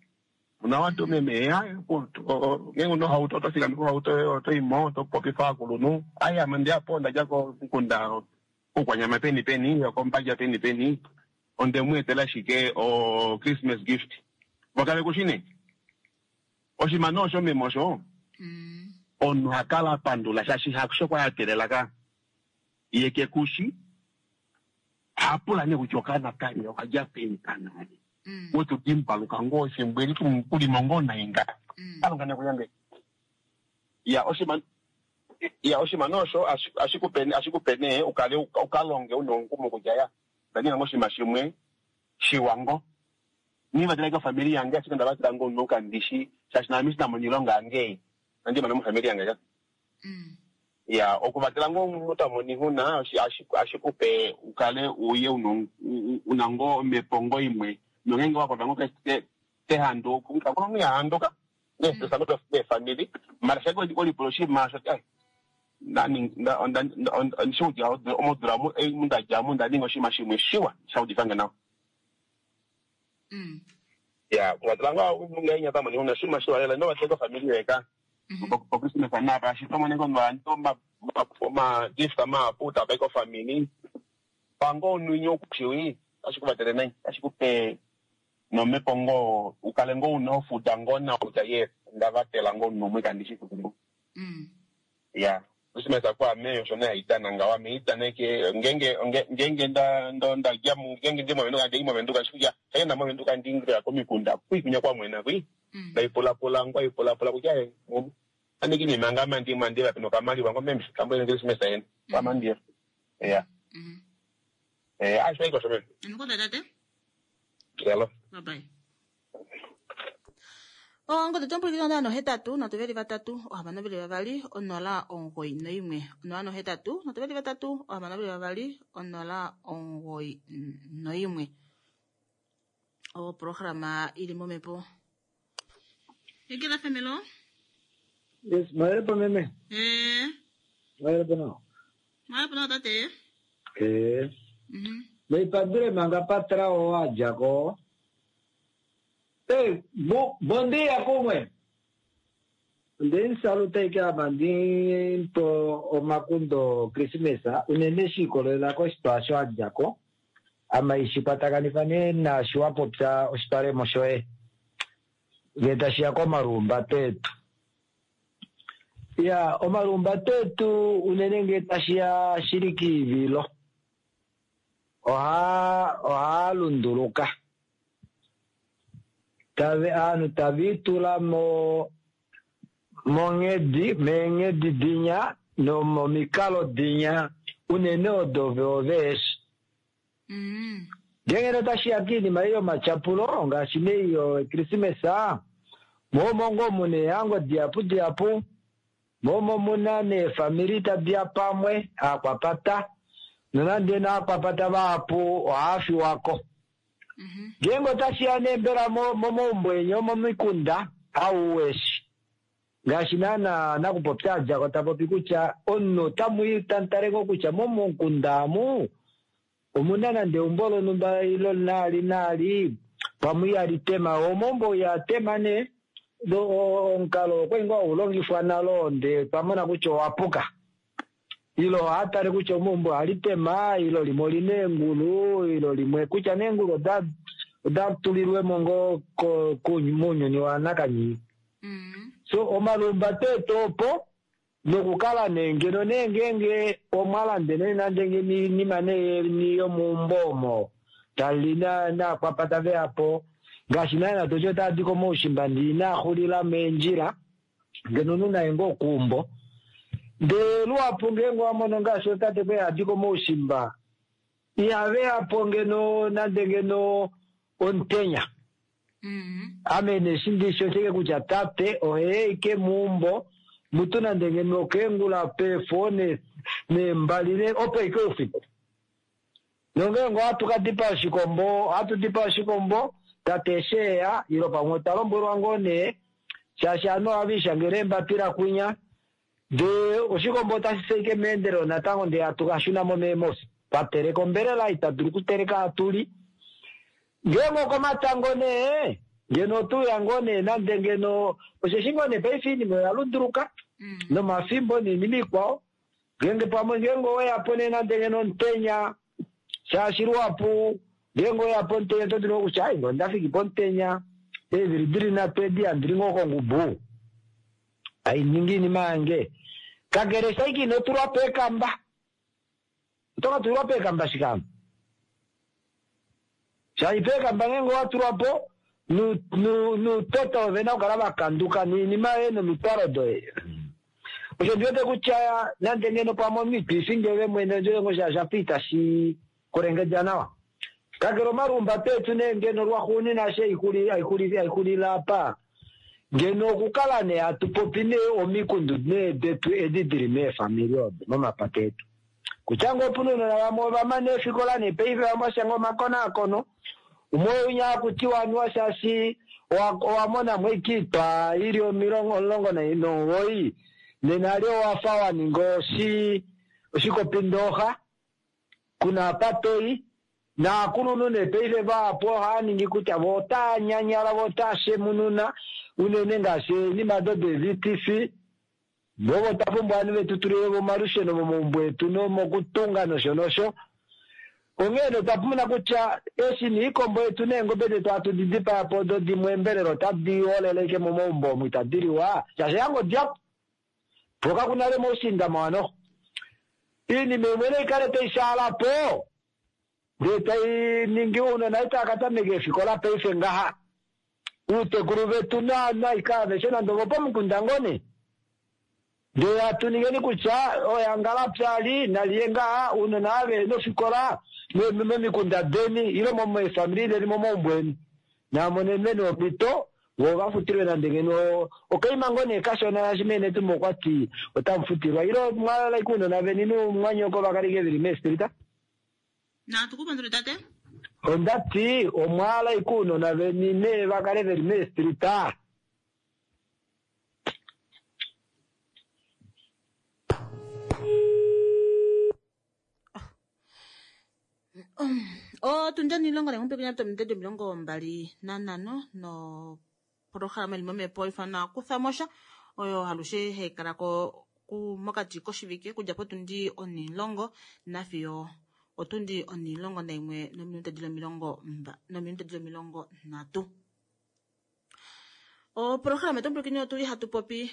una watu meme ngenge una ohauto oto fikama kohauto yoye oto imo oto popifa ovakulunhu ai ame ondeyapo ondadja komukunda koukwanyama peni peni okombadja peni peni onde mu etela ashike o Christmas gift vokave kushi nee oshinima nee osho meme osho omunhu hakala apandula shaashi hasho kwali ateelela ka ye kekushi ohapula nee kutya okaana kali okadja peni kanali wetu dimbaluka ngoo efimbo eli kulimo ngoo nai nga kalunga nekuyambe. Ya oshinima ya oshinima nee osho ashikupe nee ukale ukalonge una omukumo kutya ya onda ninga ngoo oshinima shimwe shiwa ngoo nivatela kofamili yange ashike onda vatela ngoo omunhu kandishi shaashi naame eshi ndamona iilonga yange inandi mona mofamili yange ka. Ya okuvatela ngoo omunhu tamono oixuna oshikupe ukale uye una ngoo omhepo ngoo imwe nongenge wakwatwa ngoo kehandu kakuna omunhu ihahanduka neestress ngoo deefamili mara shake olipula oshinima osho ondishi kutya modula mundadjamo onda ninga oshinima shimwe shiwa shaudifange nawa. Ya okuvatela ngoo ngenge tamono oixuna oshinima shiwa lela inovatela kofamili yoye ka pokrismesa napa shaashi oto mono ovanhu omagift mahapu tava i kofamili pango omunhu inya okushiwi otashi kuvatele nai otashi kupe Nomhepo ngoo ukale ngoo una ofuda ngoo nawa kutya yes onda vatela ngoo omunhu umwe kandi shi kuku. Ya, Christmas kwaame osho nee haidana ngaho. Ame idana eke ngeenge ngeenge nda nda dja ngeenge ndi movenduka ndei movenduka shikutya shaenda movenduka ndiingila komikunda kwi kunya kwamwena kwi. Ndaipulapula ngwaipulapula kutya andiki nima ngama ndimwa ndiva peno kamaliwa ngo meme kambo Christmas yene kwamandiya. Ya. Asho iko sho meme. Nkoda tate. Hello. Bye bye. Ongodhi otompulukitha 083 3 622 091 083 3 622 091. Oprograma ili momhepo. Egela femelo. Yes, mahelepo meme. Mahelepo nao. Mahelepo nao tate. Meipandule manga patrao wadja ko. Ei, bom dia, como é? Ndi salutei ke apa ndi po omakundo Krismesa unene shi ikolelela koshitwa sho wadja ko ama ishi kwatakanitha nee naashi wa popya oshitwalemo shoye ngee tashiya komalumbato etu. Ya, omalumbato etu unene ngee tashiya shili kiivilo ohaa lunduluka. Aanhu tava itula monghedi meenghedi dinya nomomikalo dinya unene odo veeshi. Ngenge otashiya kiinima ei yomatyapulo ngaashi nei yokrismesa moomo ngoo muna eehango dihapu dihapu moomo muna neefamili tadiya pamwe aakwapata nonande naakwapata vahapu ohaafiwako. Ngeenge otashiya nee mbela momaumbo enya omomikunda auweshi ngaashi naana nakupopya adjako tapopi kutya omunhu otamwiitantale ngoo kutya momukunda amu omuna nande eumbo lonhumba ilo naali naali pamwe ihali tema omaumbo ihaa nee omukalo okwali ngoo haulongifwa nalo ndee twamona kutya owapuka ilo ohatale kutya omaumbo ohali tema ilo limwe olina eengulu ilo limwe kutya neengulu oda tulilwemo ngoo mounyuni wanakanyi. So omalumbato etu opo nokukala nee ngeno nee ngeenge omwalandele nande inima nee yomeumbo omo tali naakwapata veyapo ngaashi naana toti otaadi komaushimba ndee inaaxulila meendjila ngeno omunhu naye ngoo okuumbo ndee luhapu ngeenge owamono ngaashi otate kwali hadi komaushimba ihaveyapo ngeno nande ngeno omutenya. Ame neshi ndishi oshike kutya tate oheya ike meumbo mutu nande ngeno okeengula peefo neembali opo ike oufiku. Nongeenge ohatu kadipa oshikombo ohatu dipa oshikombo tate eshi eya ilo pamwe otwa lombwelwa ngoo nee shaashi ovanhu ohava ishangele eembapila kwinya ndee oshikombo otashi seike meendelelo natango ndee hatu kashunamo meemofi twateleka ombelela itadulu okuteleka hatuli. Ngeenge okomatango nee ngeno otuya ngoo nee nande ngeno osheshi ngoo nee paife oinima oya lunduluka nomafimbo noinima ikwao ngeenge pamwe ngeenge oweyapo nee nande ngeno omutenya shaashi luhapu ngeenge oweyapo omutenya oto dulu kutya ai ngoo ondafiki pomutenya eevili dili nhatu edi handili ngoo kongubu ainingi iinima yange kakele shaike ino tulwa peekamba oto ka tulwa peekamba shikamo shaashi peekamba ngeenge owatulwapo nuutota ovena okukala vakanduka noinima yoye nomitwalo doye. Osho ndiwete kutya nande ngeno pamwe omunhu itwiifingi ove mwene ondjele shaashi shafa itashi kulengedja nawa. Kakele omalumbato etu nee ngeno lwaxuuninwa eshi haixulile apa ngeno okukala nee hatu popi nee omikundu nee detu edi dili meefamili odo momapata etu. Kutya ngoo opuna ounona vamwe ovamana eefikola nee paife vamwe vashanga omakonaakono umwe unya hakutiwa anuwa shaashi owamonamo ike oitwa ili 19 nena lyo owafa waninga oshikopindooxa kuna apa toyi naakulunhu nee paife vahapu ohaaningi kutya vo otaa nyanyala vo otaa shemununa unene ngaashi oinima do de-VTC vovo otwa pumbwa ovanhu vetu tulile omalusheno momaumbo etu nomokutunga nosho nosho. Onghee nee otwa mona kutya eshi niikombo yetu neengobe detu hatu di dipaya po do dimwe eembelela otadi olele ashike momaumbo omu itadi liwa shaashi ehango dihapu po kaku nale moushiinda mawa noho. Iinima imwe nai kale tai shaala po ndee tai ningi ounona itava ka tameka eefikola paife ngaha. Uutekulu vetu naika aveshe nande ovopomukunda ngoo nee. Ndee hatu ningeni kutya oyangala pyali naliye ngaha ounona ava vehena ofikola momikunda deni ile meefamili deni momaumbo eni namonenweni omhito voo vafutilwe nande ngeno okaima ngoo nee kashona shaashi meenetumbo okwati otamufutilwa ile mwalala ashike ounona veni nomumwanyoko vakale ashike veli meestrita. Natu ku pandule tate. Ondati omwaala ashike ounona veni nee vakale veli meestrita. Otundi onilongo naimwe pekenya tominute 25 nopolohalama ili momhepo ifana Kutha Mo Sha oyo alushe hai kala ko mokati koshivike okudja potundi 10 nafiyo otundi 11 nominute dili 30. Opolohalama yetu omupwilikini otuli hatu popi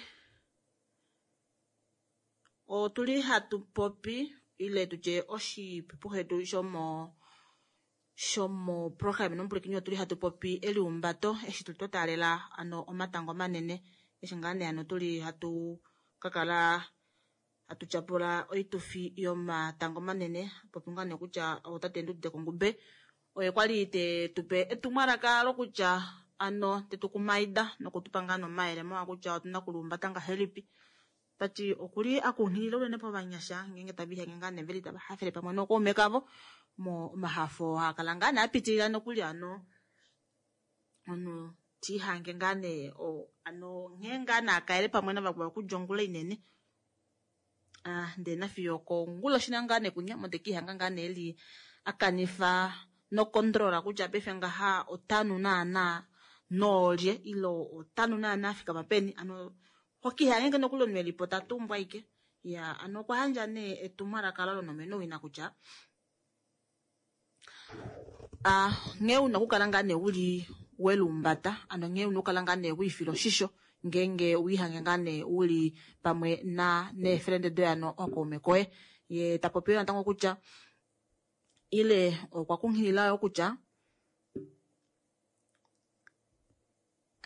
otuli hatu popi ile tutye oshipipu shetu shomo shomoprograma nomupwilikini otuli hatu popi eliumbato eshi tuli twa taalela ano omatango manene eshi ngaa nee ano tuli hatu kakala hatu tyapula oitufi yomatango manene popi ngaa nee kutya otate Nduudite Kongumbe oye kwali te tupe etumwalaka lokutya ano tetu kumaida nokutupa ngaa nomayele mawa kutya otuna okuluumbata ngahelipi. Tati okuli akunghilila unene povanyasha ngeenge tava ihange ngaa nee veli tava hafele pamwe nookaume kavo omahafo haakala ngaa nee apitilila nokuli ano omunhu tiihange ngaa nee ano nghee ngaa nee akaele pamwe navakwao okudja ongula inene ndee nafiyo okonguloshi ngaa nee kunya omo tekiihanga ngaa nee eli akanifa nokontrola kutya paife ngaha otanu naana noolye ile otanu naana afikama peni ano hokiihange nokuli omunhu elipo tatumbwa ashike. Ya ano okwa yandja nee etumwalaka lonomeno wina kutya nghee una okukala ngaa nee uli welumbata ano nghee una okukala ngaa nee wiifila oshisho ngeenge wiihange ngaa nee uli pamwe na neefrende doye ano ookaume koye. Ye tapopi yo natango kutya ile okwa kunghilila yo kutya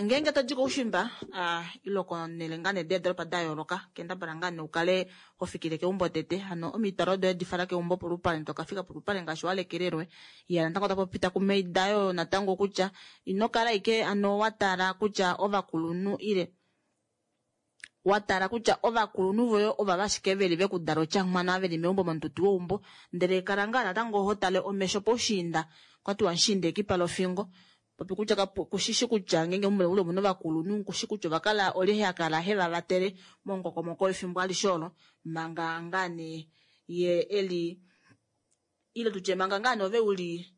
ngeenge todi koushimba ile konele ngaa nee deedoropa da yooloka kendabala ngaa nee ukale ho fikile keumbo tete ano omitwalo doye difala keumbo polupale tokafika polupale ngaashi walekelelwe. Ya natango tapopi takumaida yo natango kutya ino kala ashike ano watala kutya ovakulunhu ile watala kutya ovakulunhu voye ova ashike veli vekudala otyangwana veli meumbo momututu weumbo ndele kala ngaa natango ho tale omesho poushiinda kwatiwa mushiinda ekipa lofingo. Popi kutya kushishi kutya ngeenge ule omuna ovakulunhu kushi kutya ovakala olye hakala heva vatele momukokomoko wefimbo alishe olo manga ngaa nee ye eli ile tutye manga ngaa nee ove uli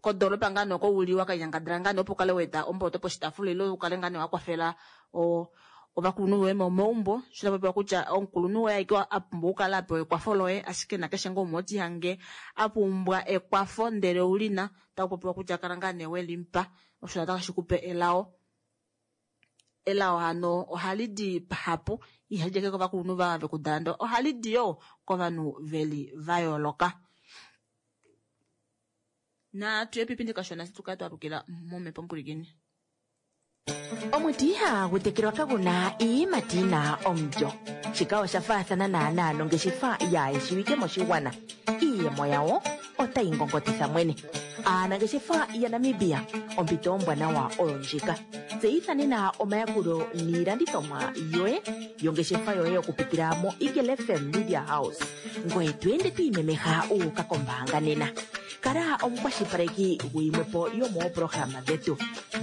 kodoropa ngaa nee oko uli wakanyangadala ngaa nee opo ukale waeta omboloto poshitaafula ile ukale ngaa nee wakwafela ovakulunhu voye momaumbo. Sho tapopiwa kutya omukulunhu woye aike apumbwa okukala apewa ekwafo loye ashike nakeshe ngoo umwe otihange apumbwa ekwafo ndele oulina takupopiwa kutya kala ngaa nee welimupa osho natango hashi kupe elao. Elao hano ohali di pahapu ihali di ashike kovakulunhu vekudala ndele ohali di yoo kovanhu veli vayooloka. Natu epipindi kashona tukale twalukila momhepo mpwilikini. Omuti ihagu tekelwa kaguna iiyimati yina omulyo. Shika osha faathana naanaa nongeshefa yaayeshiwike moshigwana. Iiyemo yawo otayi ngongotitha mwene. Aanangeshefa yaNamibia ompito ombwanawa oyo ndjika. Tseyitha nena omayakulo niilandithomwa yoye yongeshefa yoye okupitila mo Eagle FM Media House. Ngoye to ende to imemeha uuka kombaanga nena. Kala omukwashilipaleki guyimwepo yomoopolohalama dhetu.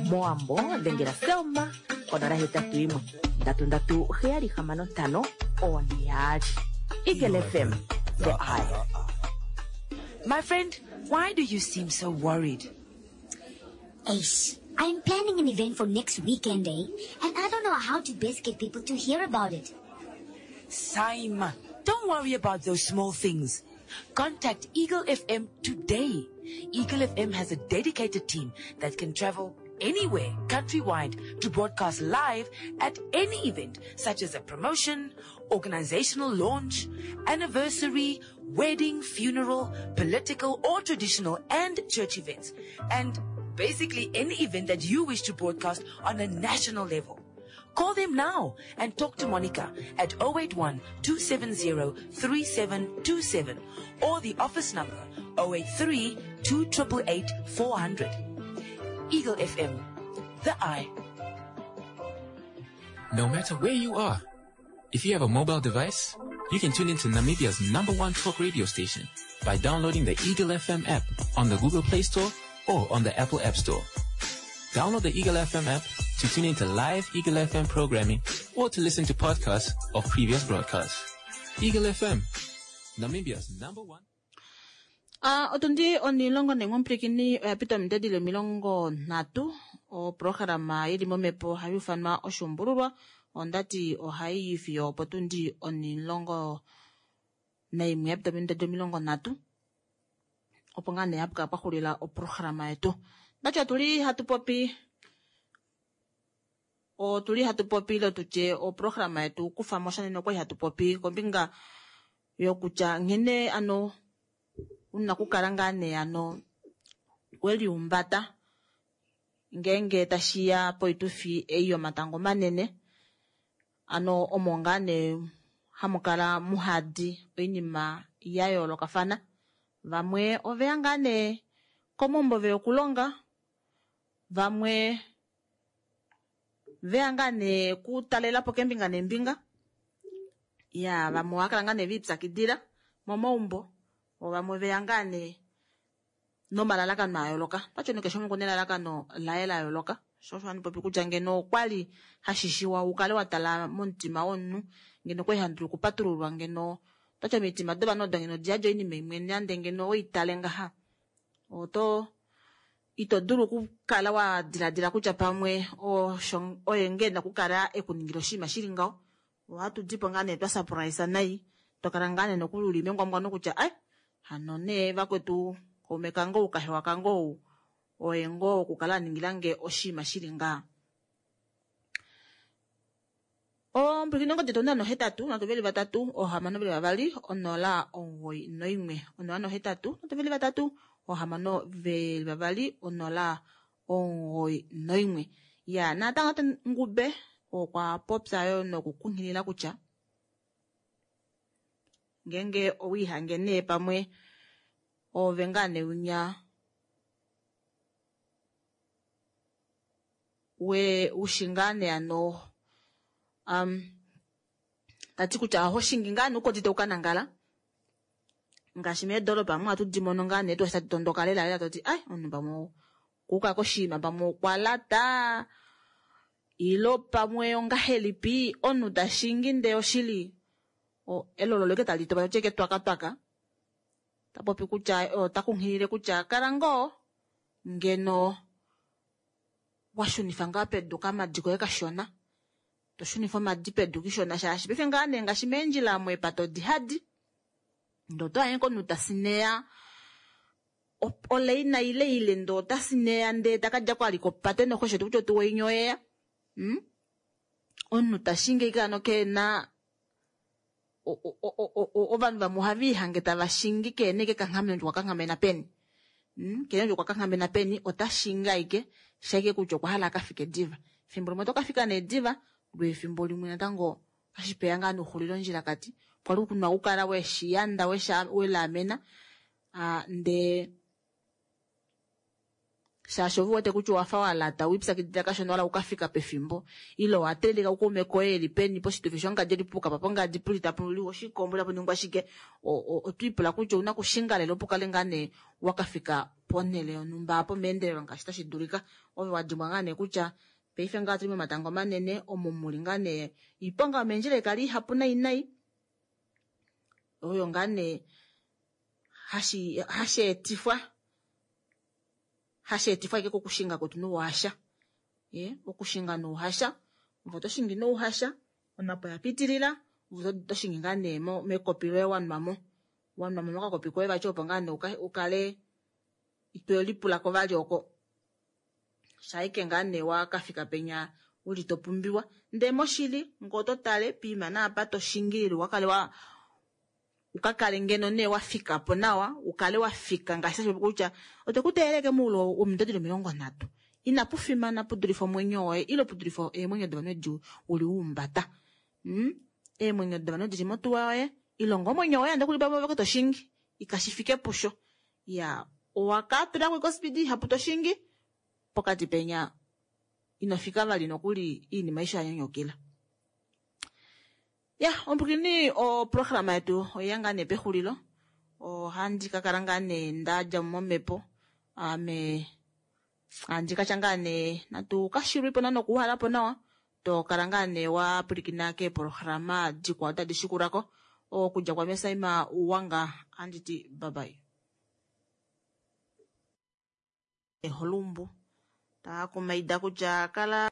Mowambo dhengela Selma 081 337 665 42. Eagle FM, the eye. My friend, why do you seem so worried? Ace, I'm planning an event for next weekend, eh? And I don't know how to best get people to hear about it. Saima, don't worry about those small things. Contact Eagle FM today. Eagle FM has a dedicated team that can travel anywhere countrywide to broadcast live at any event such as a promotion, organizational launch, anniversary, wedding, funeral, political or traditional and church events, and basically any event that you wish to broadcast on a national level. Call them now and talk to Monica at 081 270 3727 or the office number 083 2888 400. Eagle FM, the eye. No matter where you are, if you have a mobile device, you can tune into Namibia's number one talk radio station by downloading the Eagle FM app on the Google Play Store or on the Apple App Store. Download the Eagle FM app to tune into live Eagle FM programming or to listen to podcasts of previous broadcasts. Eagle FM, Namibia's number one. Ah, otundi onilongo neng'ompwilikini oya pita ominute dili 30. Oprograma yili momhepo ohayi ufanwa oshuumbululwa. Ondati ohayi yi fiyo opotundi 11 ya pita ominute 30, opo ngaa nee hapu kala pwa xulila oprograma yetu. Ndati otuli hatu popi, otuli hatu popi ile tutye oprograma yetu kufa mo sha nene okwali hatu popi kombinga yokutya nghene ano una okukala ngaa nee ano weliumbata ngeenge tashiya poitufi ei yomatango manene. Ano omo ngaa nee hamu kala muhadi oinima ya yoolokafana. Vamwe oveya ngaa nee komaumbo veya okulonga, vamwe veya ngaa nee kutalelapo kembinga nembinga. Ya, vamwe ohava kala ngaa nee viipyakidila momaumbo, vamwe veya ngaa nee nomalalakano a yooloka. Pachoni keshe umwe okuna elalakano laye la yooloka. Sho osho handi popi kutya ngeno okwali hashishiwa ukale wa tala momutima womunhu, ngeno okwali handi dulu okupatululwa, ngeno otachi omitima dovanhu odo ngeno di yadi oinima imwe nande ngeno oitale ngaha. Oto ito dulu okukala wa diladila kutya pamwe osho oye ngeno okukala ekuningila oshinima shili ngaho. Ohatu dipo ngaa nee twa surprise nai, to kala ngaa nee nokulula mengwangwano kutya ai hano nee vakwetu kaume kange ou kahewa kange ou oye ngoo okukala a ningila nge oshinima shili ngaha. Ompwilikini ongodi yetu 083 3 6 2 0 91. 083 3 6 2 0 91. Ya, natango tate Ngube okwa popya yo nokukunghilila kutya ngeenge owiihange nee pamwe ove ngaa nee winya we ushi ngaa nee ano tati kutya oho shingi ngaa nee ukodite ukanangala ngaashi meedolopa omu ohatu di mono ngaa nee tu tati tondoka lela lela toti ai omunhu pamwe okuuka koshinima pamwe okwa lata ilo pamwe ongahelipi omunhu ta shingi ndee oshili elolo leke tali topa toti eke twakatwaka. Ta popi kutya ota kunghilile kutya kala ngoo ngeno wa shunifa ngaa pedu kamadi koye kashona, to shunifa omadi pedu kishona shaashi paife ngaa nee ngaashi meendjila omo eepato odi hadi ndee oto anye komunhu ta sineya oleina ile ile ndee ota sineya ndee taka dja ko ali kopate noxo kutya otuwa inya oyeya. Omunhu ta shingi ashike hano keena ovanhu vamwe ohava ihange tava shingi keena ashike ekanghameno kutya okwa kanghamena peni. Keena kutya okwa kanghamena peni, ota shingi ashike shaike kutya okwa hala akafike diva. Efimbo limwe oto kafika nee diva, lwe efimbo limwe natango otashi peya ngaa nouxulilo ondjilakati. Kwali kuna okukala weshiyanda, welaamena, ndee shaashi ove wete kutya owafa wa lata, wiipyakidila kashona wala ukafika pefimbo, ile owa teelelika kukaume koye eli peni poshitufi shongadi eli puka pa pongadi puli tapu liwa oshikombo tapu ningwa shike, otwiipula kutya ouna okushinga lela opo ukale ngaa nee wakafika ponhele yonhumba apo meendelelo ngaashi tashi dulika. Ove wa dimbwa ngaa nee kutya paife ngaa otuli momatango manene omo muli ngaa nee iiponga yomeendjila ikali ihapu nai nai, oyo ngaa nee hashi etifwa hashi etifwa ashike kokushinga kwetu nouhasha. Okushinga nouhasha, ove oto shingi nouhasha, onapo ya pitilila, ove oto shingi ngaa nee mekopi loye wa nwamo. Wanwa mo mokakopi koye vati opo ngaa nee ukale ito lipulako vali oko. Shaike ngaa nee wakafika penya uli to pumbiwa. Ndee moshili ngee oto tale piima naapa to shingilile ukakale wa ukakale ngeno nee wafika po nawa ukale wafika ngaashi tashi popi kutya otwe ku teeleke moule womido dili 30 inapu fimana pudulife omwenyo woye ile pudulife eemwenyo dovanhu edi uli wuumbata. Mm? Eemwenyo dovanhu dili motuwa yoye ilonga omwenyo woye ande kuli pamwe to shingi ikashi fike pusho. Ya owakatulako kospidi ihapu to shingi pokati penya inofika vali nokuli iinima aishe yanyanyukila. Ya ompukini oprograma yetu oyeya ngaa nee pexulilo ohandi kakala ngaa nee ndadja momhepo ame handi katya ngaa nee natu kashilwepo na nokuuhalapo nawa tokala ngaa nee wapwilikina keeprograma dikwao tadi shikulako okudja kwame Saima Uwanga anditi bye bye. Eholumbu taakumaida kutya kala.